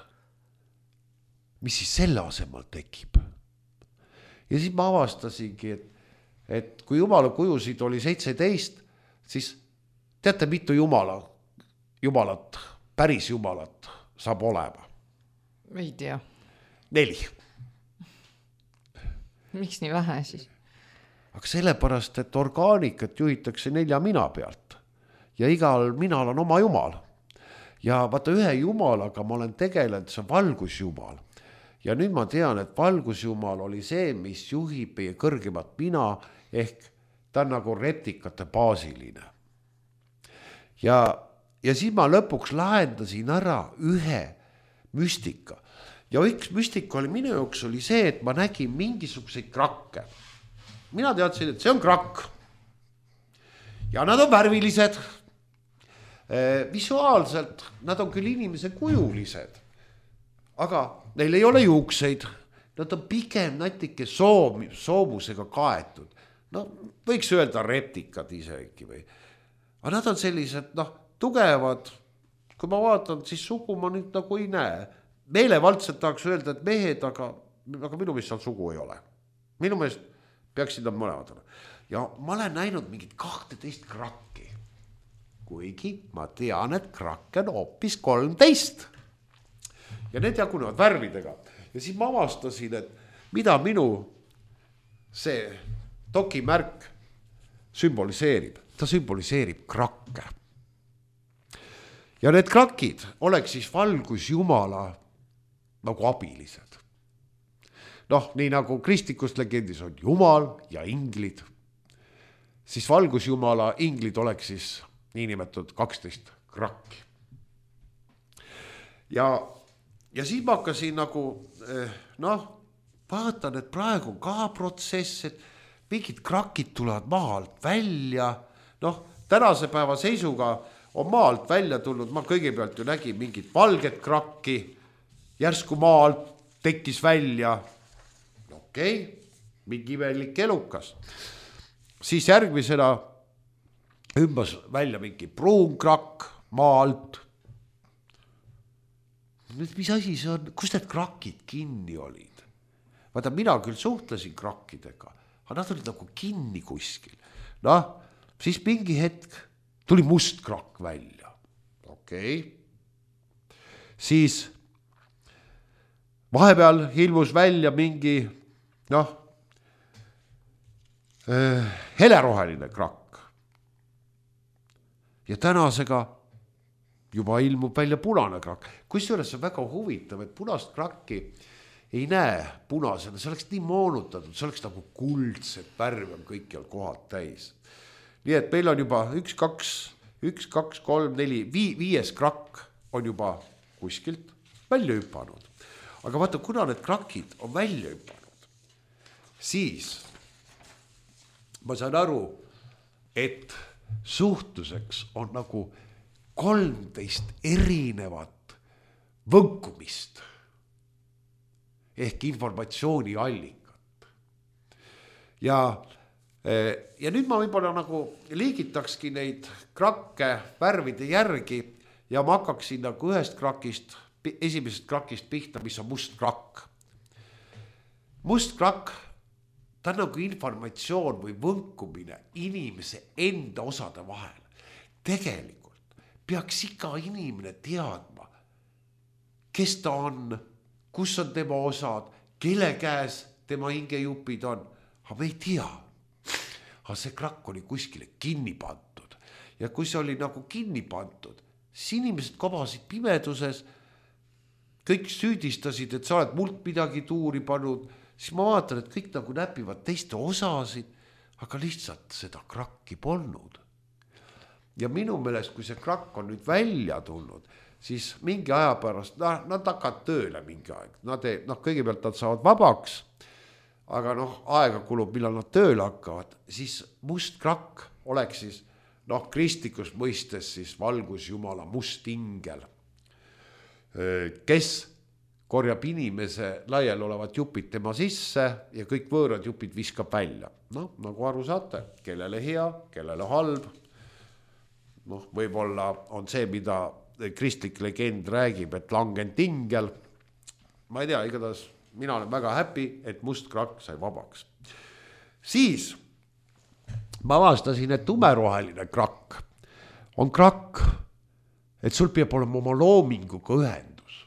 mis siis selle asemel tekib? Ja siis ma avastasingi, et et kui jumala kujusid oli seitseteist, siis teate, mitu jumala, jumalat, päris jumalat saab olema? Ei tea. Neli. Miks nii vähe siis? Aga sellepärast, et orgaanikat juhitakse nelja mina pealt. Ja igal minal on oma jumal. Ja vaata ühe jumalaga ma olen tegelenud, see on valgusjumal. Ja nüüd ma tean, et valgusjumal oli see, mis juhib meie kõrgemat mina, ehk ta on nagu reptikate baasiline. Ja ja siis ma lõpuks lahendasin ära ühe müstika. Ja üks müstika oli minu jaoks oli see, et ma nägin mingisuguseid krakke. Mina teadsin, et see on krakk. Ja nad on värvilised. Visuaalselt nad on küll inimese kujulised, aga neil ei ole juukseid. Nad on pigem natuke soom, soomusega kaetud. No võiks öelda reptikad isegi või. Aga nad on sellised, noh, tugevad. Kui ma vaatan, siis sugu ma nüüd nagu ei näe. Meelevaldselt tahaks öelda, et mehed, aga, aga minu meelest seal sugu ei ole. Minu meelest peaksid nad mõlemad olema. Ja ma olen näinud mingid kahteteist krakki. Kuigi ma tean, et krakke on hoopis kolmteist. Ja need jagunevad värvidega. Ja siis ma avastasin, et mida minu see dokimärk sümboliseerib. Ta sümboliseerib krakke. Ja need krakid oleks siis valgusjumala nagu abilised. Noh, nii nagu kristlikust legendis on jumal ja inglid, siis valgusjumala inglid oleks siis niinimetatud kaksteist krakki. Ja, ja siis ma hakkasin nagu, noh, vaatan, et praegu ka protsess, et mingid krakid tulevad maalt välja. Noh, tänase päeva seisuga on maalt välja tulnud, ma kõigepealt ju nägin mingit valget krakki, järsku maalt tekkis välja, okei, mingi imelik elukas. Siis järgmisena ümbas välja mingi pruun krakk maalt. Mis asi see on? Kus need krakid kinni olid? Vaata, mina küll suhtlesin krakkidega, aga nad olid nagu kinni kuskil. Noh, siis mingi hetk tuli must krakk välja. Okei. Siis vahepeal ilmus välja mingi, noh, heleroheline krakk. Ja tänasega juba ilmub välja punane krakk. Kusjuures on väga huvitav, et punast krakki ei näe punasena. See oleks nii moonutatud, see oleks nagu kuldset värvi on kõikjal kohad täis. Nii et meil on juba üks, kaks, üks, kaks, kolm, neli, vii, viies krakk on juba kuskilt välja hüpanud. Aga vaata, kuna need krakid on välja hüpanud, siis ma saan aru, et suhtuseks on nagu kolmteist erinevat võnkumist ehk informatsiooni allikat. Ja, ja nüüd ma võib-olla nagu liigitakski neid krakke värvide järgi ja ma hakkaksin nagu ühest krakist, esimesest krakist pihta, mis on must krakk. Must krakk, ta on nagu informatsioon või võnkumine inimese enda osade vahel. Tegelikult peaks iga inimene teadma, kes ta on, kus on tema osad, kelle käes tema hingejupid on. Aga me ei tea. Aga see krakk oli kuskile kinni pandud. Ja kui see oli nagu kinni pandud, siis inimesed kobasid pimeduses, kõik süüdistasid, et sa oled mult midagi tuuri pannud, siis ma vaatan, et kõik nagu näpivad teiste osasid, aga lihtsalt seda krakki polnud. Ja minu meelest, kui see krakk on nüüd välja tulnud, siis mingi aja pärast, nah, nad hakkavad tööle mingi aeg. Nad ei, noh, kõigepealt nad saavad vabaks, aga noh, aega kulub, millal nad tööle hakkavad. Siis must krakk oleks siis, noh, kristlikus mõistes siis valgusjumala must ingel, kes korjab inimese laial olevat jupid tema sisse ja kõik võõrad jupid viskab välja. Noh, nagu aru saate, kellele hea, kellele halb. Noh, võib-olla on see, mida kristlik legend räägib, et langend ingel. Ma ei tea, igatahes mina olen väga happy, et must krakk sai vabaks. Siis ma avastasin, et tumeroheline krakk on krakk, et sul peab olema oma loominguga ühendus.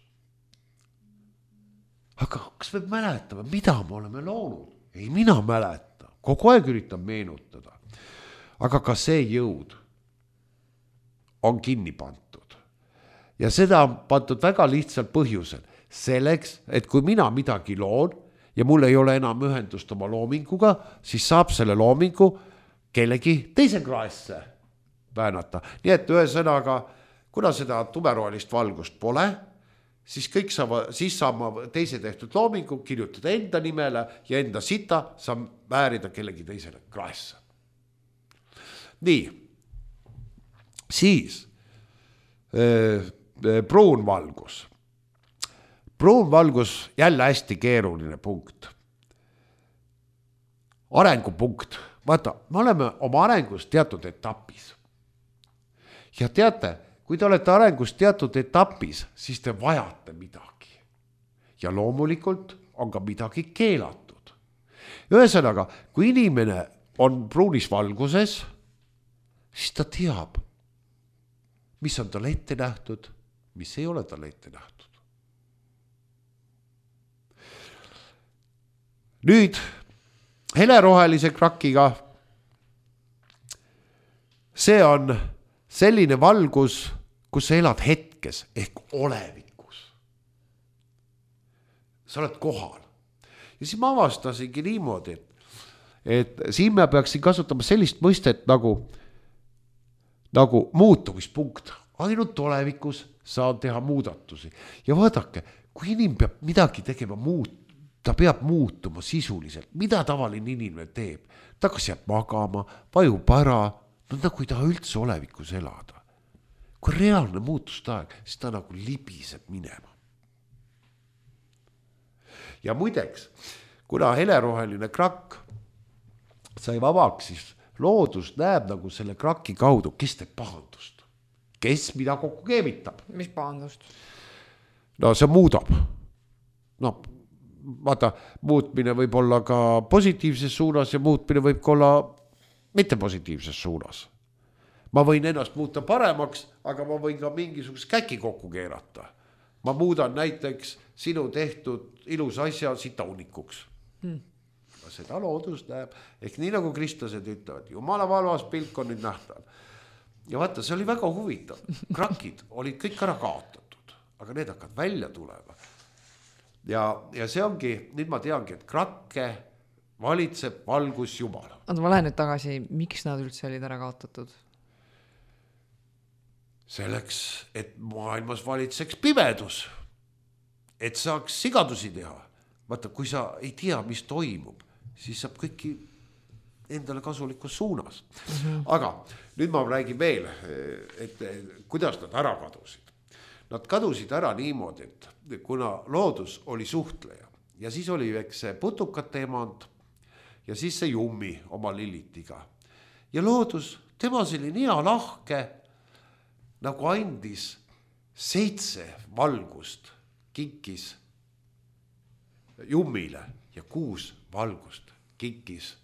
Aga kas me mäletame, mida me oleme loonud? Ei, mina mäleta. Kogu aeg üritan meenutada. Aga ka see jõud on kinni pandud. Ja seda on pandud väga lihtsalt põhjusel. Selleks, et kui mina midagi loon ja mul ei ole enam ühendust oma loominguga, siis saab selle loomingu kellegi teise kraesse väänata. Nii et ühesõnaga, kuna seda tumerohelist valgust pole, siis kõik saab, siis saab ma teise tehtud loomingu kirjutada enda nimele ja enda sita saab määrida kellegi teisele kraesse. Nii, siis äh, pruun valgus. Pruun valgus jälle hästi keeruline punkt. Arengupunkt. Vaata, me oleme oma arengus teatud etapis. Ja teate, kui te olete arengus teatud etapis, siis te vajate midagi. Ja loomulikult on ka midagi keelatud. Ühesõnaga, kui inimene on pruunis valguses, siis ta teab, mis on tal ette nähtud, mis ei ole tal ette nähtud. Nüüd helerohelise krakiga, see on selline valgus, kus sa elad hetkes ehk olevikus. Sa oled kohal. Ja siis ma avastasingi niimoodi, et, et siin me peaksin kasutama sellist mõistet nagu, nagu muutumispunkt. Ainult olevikus saan teha muudatusi. Ja vaadake, kui inimene peab midagi tegema muud, ta peab muutuma sisuliselt. Mida tavaline inimene teeb? Ta kas jääb magama, vajub ära, no nagu ei taha üldse olevikus elada. Kui reaalne muutustaeg, siis ta nagu libiseb minema. Ja muideks, kuna heleroheline krakk sai vabaks, siis loodus näeb nagu selle kraki kaudu, kes teeb pahandust. Kes mida kokku keemitab. Mis pahandust? No see muudab. No, vaata, muutmine võib olla ka positiivses suunas ja muutmine võib ka olla mitte positiivses suunas. Ma võin ennast muuta paremaks, aga ma võin ka mingisugust käki kokku keerata. Ma muudan näiteks sinu tehtud ilus asja sita unnikuks. Hmm. Seda loodus näeb, ehk nii nagu kristlased ütlevad, jumala valvas pilk on nüüd nähtav. Ja vaata, see oli väga huvitav. Krakid olid kõik ära kaotatud, aga need hakkavad välja tulema. Ja, ja see ongi, nüüd ma teangi, et krakke valitseb valgus Jumal. Anta, ma lähen nüüd tagasi, miks nad üldse olid ära kaotatud? Selleks, et maailmas valitseks pimedus, et saaks sigadusi teha. Vaata, kui sa ei tea, mis toimub, siis saab kõiki endale kasulikus suunas. Mm-hmm. Aga nüüd ma räägin veel, et kuidas nad ära kadusid. Nad kadusid ära niimoodi, et kuna loodus oli suhtleja ja siis oli eks see putukate emand ja siis see jummi oma lillitiga. Ja loodus, tema oli nii lahke, nagu andis seitse valgust kinkis jummile ja kuus valgust kinkis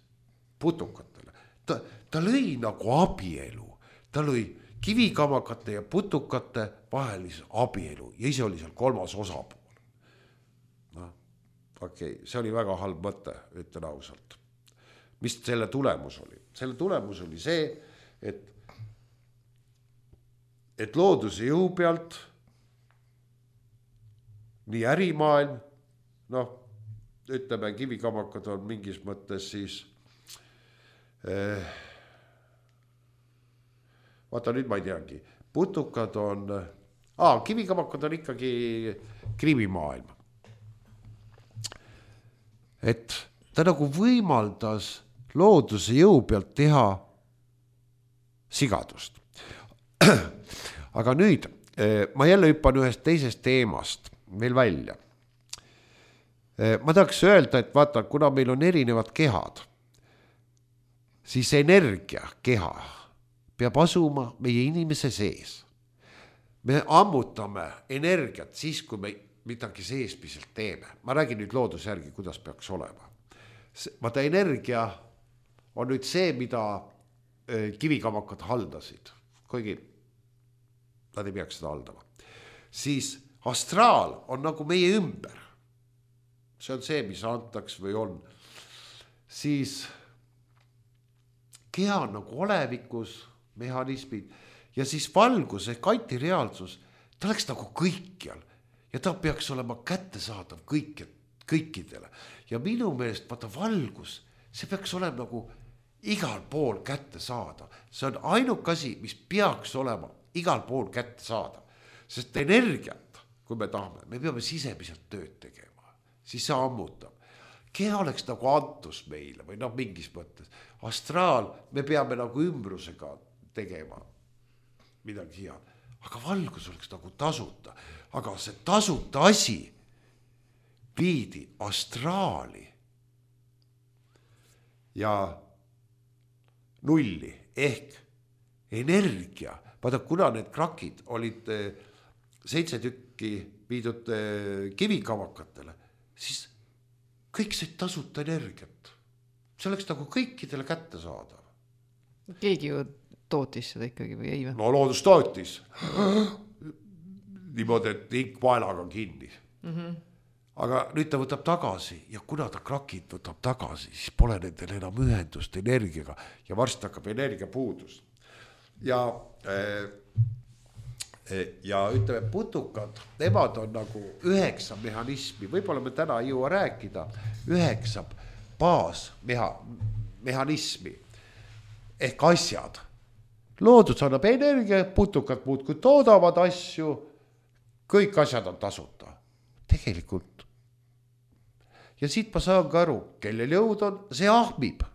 putukatele. Ta, ta lõi nagu abielu, ta lõi kivikamakate ja putukate vahelise abielu ja ise oli seal kolmas osapool. No, okei, okay, see oli väga halb mõte, ütlen ausalt. Mis selle tulemus oli? Selle tulemus oli see, et, et looduse jõu pealt nii ärimaailm, noh, ütleme, kivikamakad on mingis mõttes siis eh, vaata nüüd ma ei teagi, putukad on, aa, kivikamakad on ikkagi krimimaailm. Et ta nagu võimaldas looduse jõu pealt teha sigadust. Aga nüüd, ma jälle hüppan ühest teisest teemast veel välja. Ma tahaks öelda, et vaata, kuna meil on erinevad kehad, siis energia keha peab asuma meie inimese sees. Me ammutame energiat siis, kui me midagi seespiselt teeme. Ma räägin nüüd looduse järgi, kuidas peaks olema. Vaata, energia on nüüd see, mida kivikamakad haldasid, kuigi nad ei peaks seda haldama. Siis astraal on nagu meie ümber. See on see, mis antaks või on. Siis keha on nagu olevikus, mehhanismid ja siis valgus ehk antireaalsus, ta oleks nagu kõikjal ja ta peaks olema kättesaadav kõik, kõikidele. Ja minu meelest vaata valgus, see peaks olema nagu igal pool kättesaadav. See on ainuke asi, mis peaks olema igal pool kätte saada, sest energiat, kui me tahame, me peame sisemiselt tööd tegema, siis see ammutab. Keha oleks nagu antus meile või noh, mingis mõttes. Astraal, me peame nagu ümbrusega tegema midagi head, aga valgus oleks nagu tasuta, aga see tasuta asi viidi astraali ja nulli ehk energia. Vaata, kuna need krakid olid seitse tükki viidud kivikamakatele, siis kõik see tasuta energiat. See oleks nagu kõikidele kätte saadav. Keegi ju tootis seda ikkagi või ei või? No loodus tootis. Niimoodi, et ink vaelaga kinni. Mm-hmm. Aga nüüd ta võtab tagasi ja kuna ta krakid võtab tagasi, siis pole nendel enam ühendust energiaga ja varsti hakkab energia puudus. Ja, ja ütleme, putukad, nemad on nagu üheksa mehhanismi, võib-olla me täna ei jõua rääkida, üheksa baas meha, mehhanismi ehk asjad. Loodus annab energia, putukad muudkui toodavad asju, kõik asjad on tasuta. Tegelikult. Ja siit ma saan ka aru, kellel jõud on, see ahmib.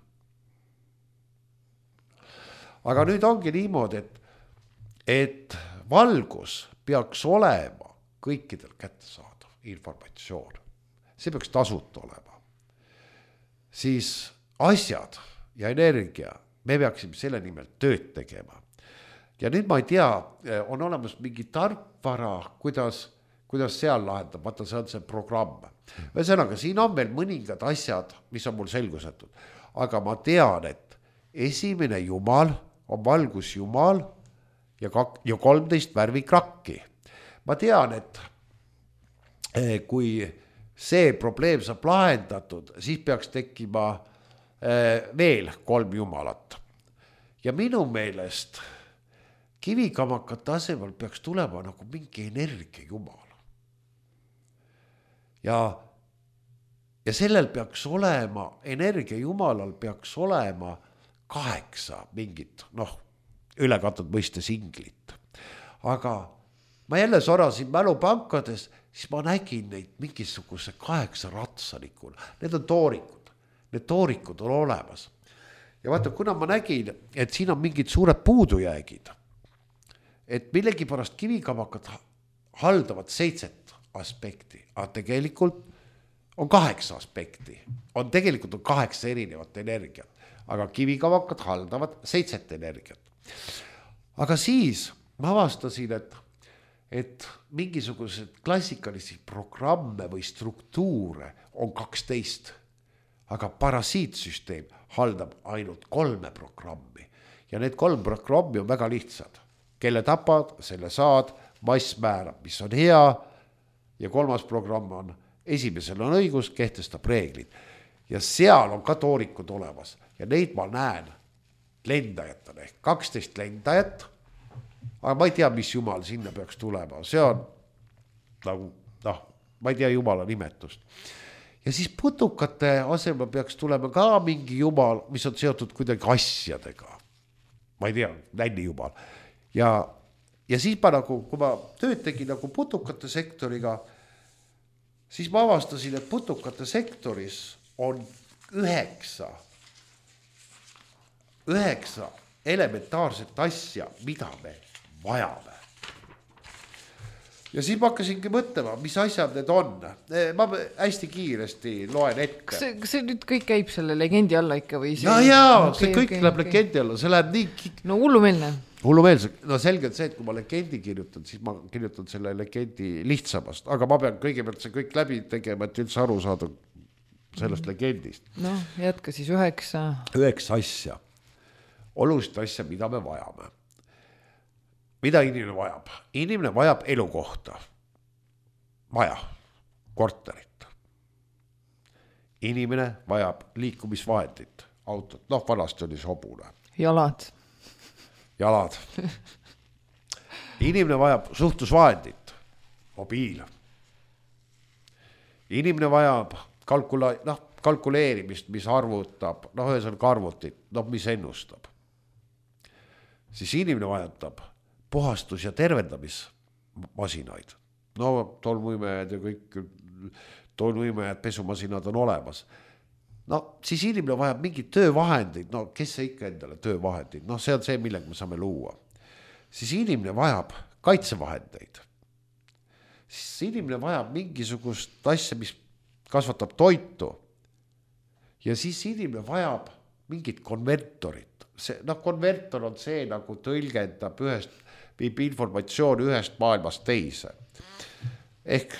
Aga nüüd ongi niimoodi, et, et valgus peaks olema kõikidel kättesaadav informatsioon. See peaks tasuta olema. Siis asjad ja energia, me peaksime selle nimel tööd tegema. Ja nüüd ma ei tea, on olemas mingi tarkvara, kuidas, kuidas seal lahendab, vaata see on see programm. Ühesõnaga, siin on veel mõningad asjad, mis on mul selgusetud. Aga ma tean, et esimene jumal on valgus jumal ja, kak- ja kolmteist värvikrakki. Ma tean, et kui see probleem saab lahendatud, siis peaks tekkima veel kolm jumalat. Ja minu meelest kivikamakate asemel peaks tulema nagu mingi energia jumal. Ja, ja sellel peaks olema, energia jumalal peaks olema kaheksa mingit, noh, ülekatud mõiste singlit. Aga ma jälle sorasin mälupankades, siis ma nägin neid mingisuguse kaheksa ratsanikul. Need on toorikud. Need toorikud on olemas. Ja vaata, kuna ma nägin, et siin on mingid suured puudujäägid, et millegi pärast kivikamakad haldavad seitset aspekti, aga tegelikult on kaheksa aspekti. On tegelikult on kaheksa erinevat energiat, aga kivikamakad haldavad seitset energiat. Aga siis ma avastasin, et, et mingisugused klassikalisi programme või struktuure on kaksteist, aga parasiitsüsteem haldab ainult kolme programmi. Ja need kolm programmi on väga lihtsad. Kelle tapad, selle saad, mass määrab, mis on hea. Ja kolmas programm on, esimesel on õigus, kehtestab reeglid. Ja seal on ka toorikud olemas. Ja neid ma näen lendajatena ehk kaksteist lendajat. Aga ma ei tea, mis jumal sinna peaks tulema. See on nagu, noh, ma ei tea jumala nimetust. Ja siis putukate asemel peaks tulema ka mingi jumal, mis on seotud kuidagi asjadega. Ma ei tea, nänni jumal. Ja, ja siis ma nagu, kui ma tööd tegin nagu putukate sektoriga, siis ma avastasin, et putukate sektoris on üheksa, üheksa elementaarset asja, mida me vajame. Ja siis ma hakkasingi mõtlema, mis asjad need on. Ma hästi kiiresti loen ette. Kas see, kas see nüüd kõik käib selle legendi alla ikka või see? Ja, jaa, okay, see kõik okay, läheb okay. Legendi alla, see läheb nii... No hullumeelne. Hullumeelse, no selgelt see, et kui ma legendi kirjutan, siis ma kirjutan selle legendi lihtsamast, aga ma pean kõigepealt see kõik läbi tegema, et üldse aru saada sellest legendist. No, jätka siis üheksa. Üheksa asja. Olulist asja, mida me vajame. Mida inimene vajab? Inimene vajab elukohta. Maja, korterit. Inimene vajab liikumisvahendit, autot. Noh, vanasti oli sobune. Jalad. Jalad. Inimene vajab suhtlusvahendit, mobiil. Inimene vajab kalkula- noh, kalkuleerimist, mis arvutab, noh, ühesõnaga arvutit, noh, mis ennustab. Siis inimene vajatab puhastus- ja tervendamismasinaid. No tolmuimejad ja kõik tolmuimejad, pesumasinad on olemas. No siis inimene vajab mingid töövahendid, no kes see ikka endale töövahendid, no see on see, millega me saame luua. Siis inimene vajab kaitsevahendeid. Siis inimene vajab mingisugust asja, mis kasvatab toitu. Ja siis inimene vajab mingit konvertorit. See, no konvertor on see, nagu tõlgendab ühest, viib informatsiooni ühest maailmast teise. Ehk,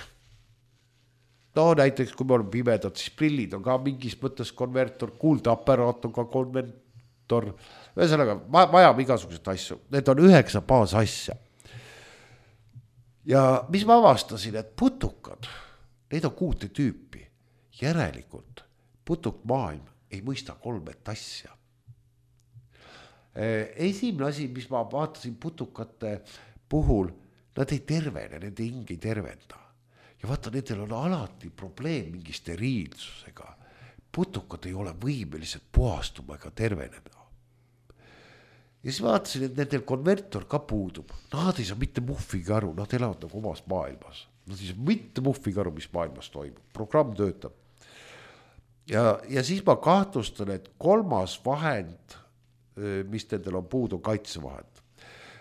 no näiteks kui me oleme pimedad, siis prillid on ka mingis mõttes konvertor, kuuldeaparaat on ka konvertor. Ühesõnaga, vajab igasugused asju. Need on üheksa baas asja. Ja mis ma avastasin, et putukad, neid on kuute tüüpi. Järelikult putukmaailm ei mõista kolmet asja. Esimene asi, mis ma vaatasin putukate puhul, nad ei tervene, nende hing ei tervenda. Ja vaata, nendel on alati probleem mingi steriilsusega. Putukad ei ole võimelised puhastuma ega terveneda. Ja siis vaatasin, et nendel konvertor ka puudub. Nad ei saa mitte muhvigi aru, nad elavad nagu omas maailmas. Nad ei saa mitte muhvigi aru, mis maailmas toimub. Programm töötab. Ja, ja siis ma kahtlustan, et kolmas vahend, mis nendel on puudu, kaitsevahend.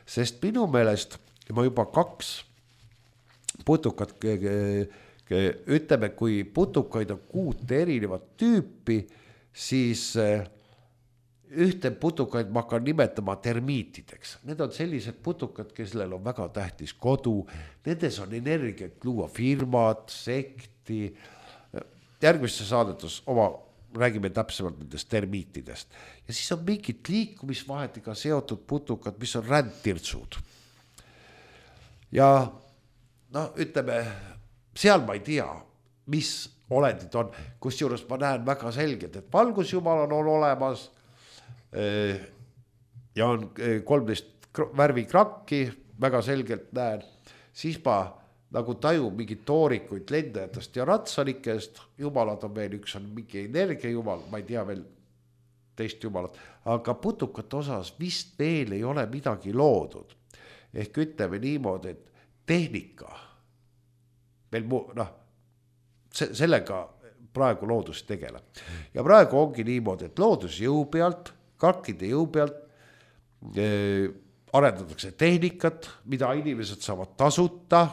Sest minu meelest ma juba kaks putukat, ütleme, kui putukaid on kuute erinevat tüüpi, siis ühte putukaid ma hakkan nimetama termiitideks. Need on sellised putukad, kellel on väga tähtis kodu. Nendes on energiat luua firmad, sekti. Järgmisse saadetus oma räägime täpsemalt nendest termiitidest. Ja siis on mingid liikumisvahetega seotud putukad, mis on rändtirtsud. Ja no ütleme, seal ma ei tea, mis olendid on, kus juures ma näen väga selgelt, et valgusjumal on olemas ja on kolmteist värvi krakki, väga selgelt näen, siis ma nagu taju mingid toorikuid lendajatest ja ratsanikest, jumalad on veel, üks on mingi energiajumal, ma ei tea veel teist jumalat, aga putukate osas vist veel ei ole midagi loodud. Ehk ütleme niimoodi, et tehnika, veel mu, noh, sellega praegu loodus tegeleb. Ja praegu ongi niimoodi, et loodus jõu pealt, kakkide jõu pealt eh, arendatakse tehnikat, mida inimesed saavad tasuta.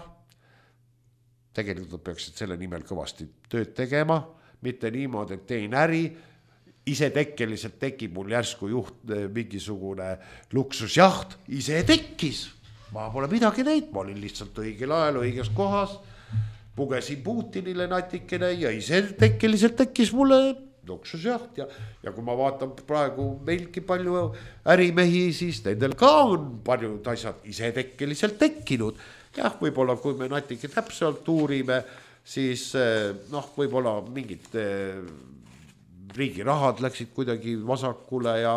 Tegelikult peaksid selle nimel kõvasti tööd tegema, mitte niimoodi, et tein äri, ise tekkeliselt tekib mul järsku juht mingisugune luksusjaht, ise tekkis. Ma pole midagi neid, ma olin lihtsalt õigel ajal õiges kohas, pugesin Putinile natikene ja ise tekkeliselt tekkis mulle luksusjaht. Ja, ja kui ma vaatan praegu meilgi palju ärimehi, siis nendel ka on paljud asjad ise tekkeliselt tekkinud. Jah, võib-olla kui me natike täpselt uurime, siis noh, võib-olla mingid riigi rahad läksid kuidagi vasakule ja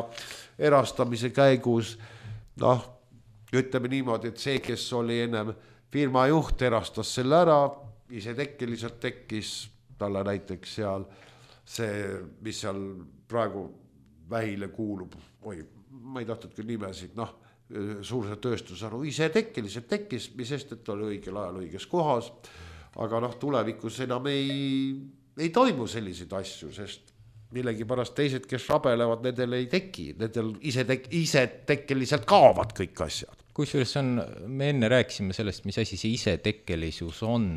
erastamise käigus, noh, ütleme niimoodi, et see, kes oli ennem firma juht, erastas selle ära, ise tekkeliselt tekkis talle näiteks seal see, mis seal praegu vähile kuulub, oi, ma ei tahtnud küll nimesid, noh, suurse tööstusharu, ise tekkeliselt tekkis, mis sest, et oli õigel ajal õiges kohas, aga noh, tulevikus enam ei, ei toimu selliseid asju, sest millegi pärast teised, kes rabelevad, nendel ei teki, nendel ise, tek, ise tekkeliselt kaovad kõik asjad. Kusjuures on, me enne rääkisime sellest, mis asi see isetekkelisus on.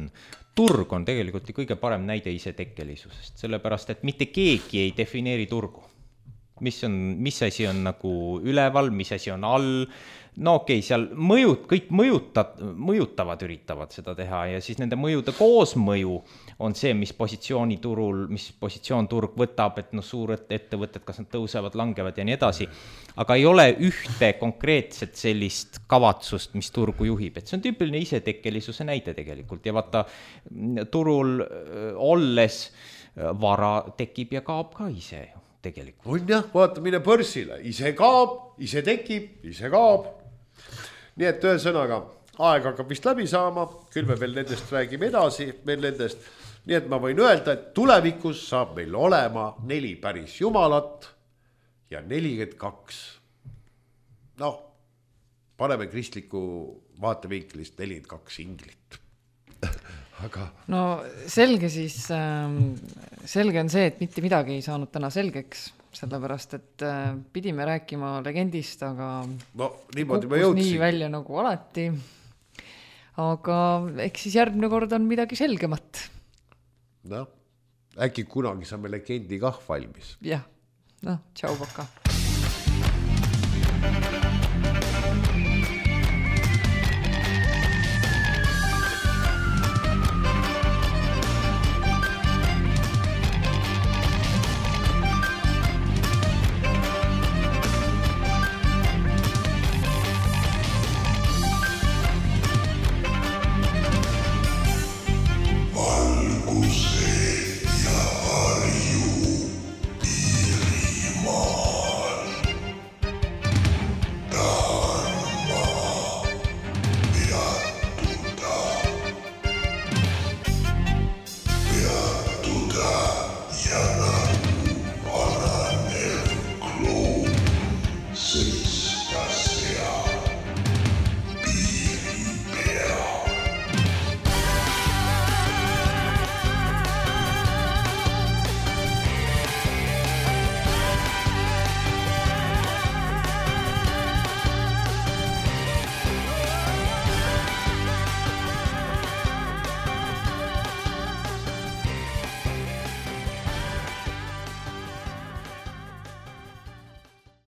Turg on tegelikult kõige parem näide isetekkelisusest, sellepärast, et mitte keegi ei defineeri turgu. Mis, on, mis asi on nagu üleval, mis asi on all. No okei, okay, seal mõjud, kõik mõjutad, mõjutavad üritavad seda teha ja siis nende mõjude koosmõju on see, mis positsiooni turul, mis positsioon turg võtab, et no suured ettevõtted, kas nad tõusevad, langevad ja nii edasi. Aga ei ole ühte konkreetset sellist kavatsust, mis turgu juhib. Et see on tüüpiline isetekkelisuse näide tegelikult ja vaata turul olles vara tekib ja kaob ka ise ju tegelikult. On jah, vaata mine börsile, ise kaob, ise tekib, ise kaob. Nii et ühesõnaga, aeg hakkab vist läbi saama, küll me veel nendest räägime edasi, veel nendest. Nii et ma võin öelda, et tulevikus saab meil olema neli päris jumalat ja nelikümmend kaks. Noh, paneme kristliku vaatevinklist nelikümmend kaks inglit. Aga no selge siis, selge on see, et mitte midagi ei saanud täna selgeks, sellepärast, et pidime rääkima legendist, aga no niimoodi ma jõudsin. Nii välja nagu alati. Aga eks siis järgmine kord on midagi selgemat. No, äkki kunagi saame legendi kah valmis. Jah, no, tšau, paka.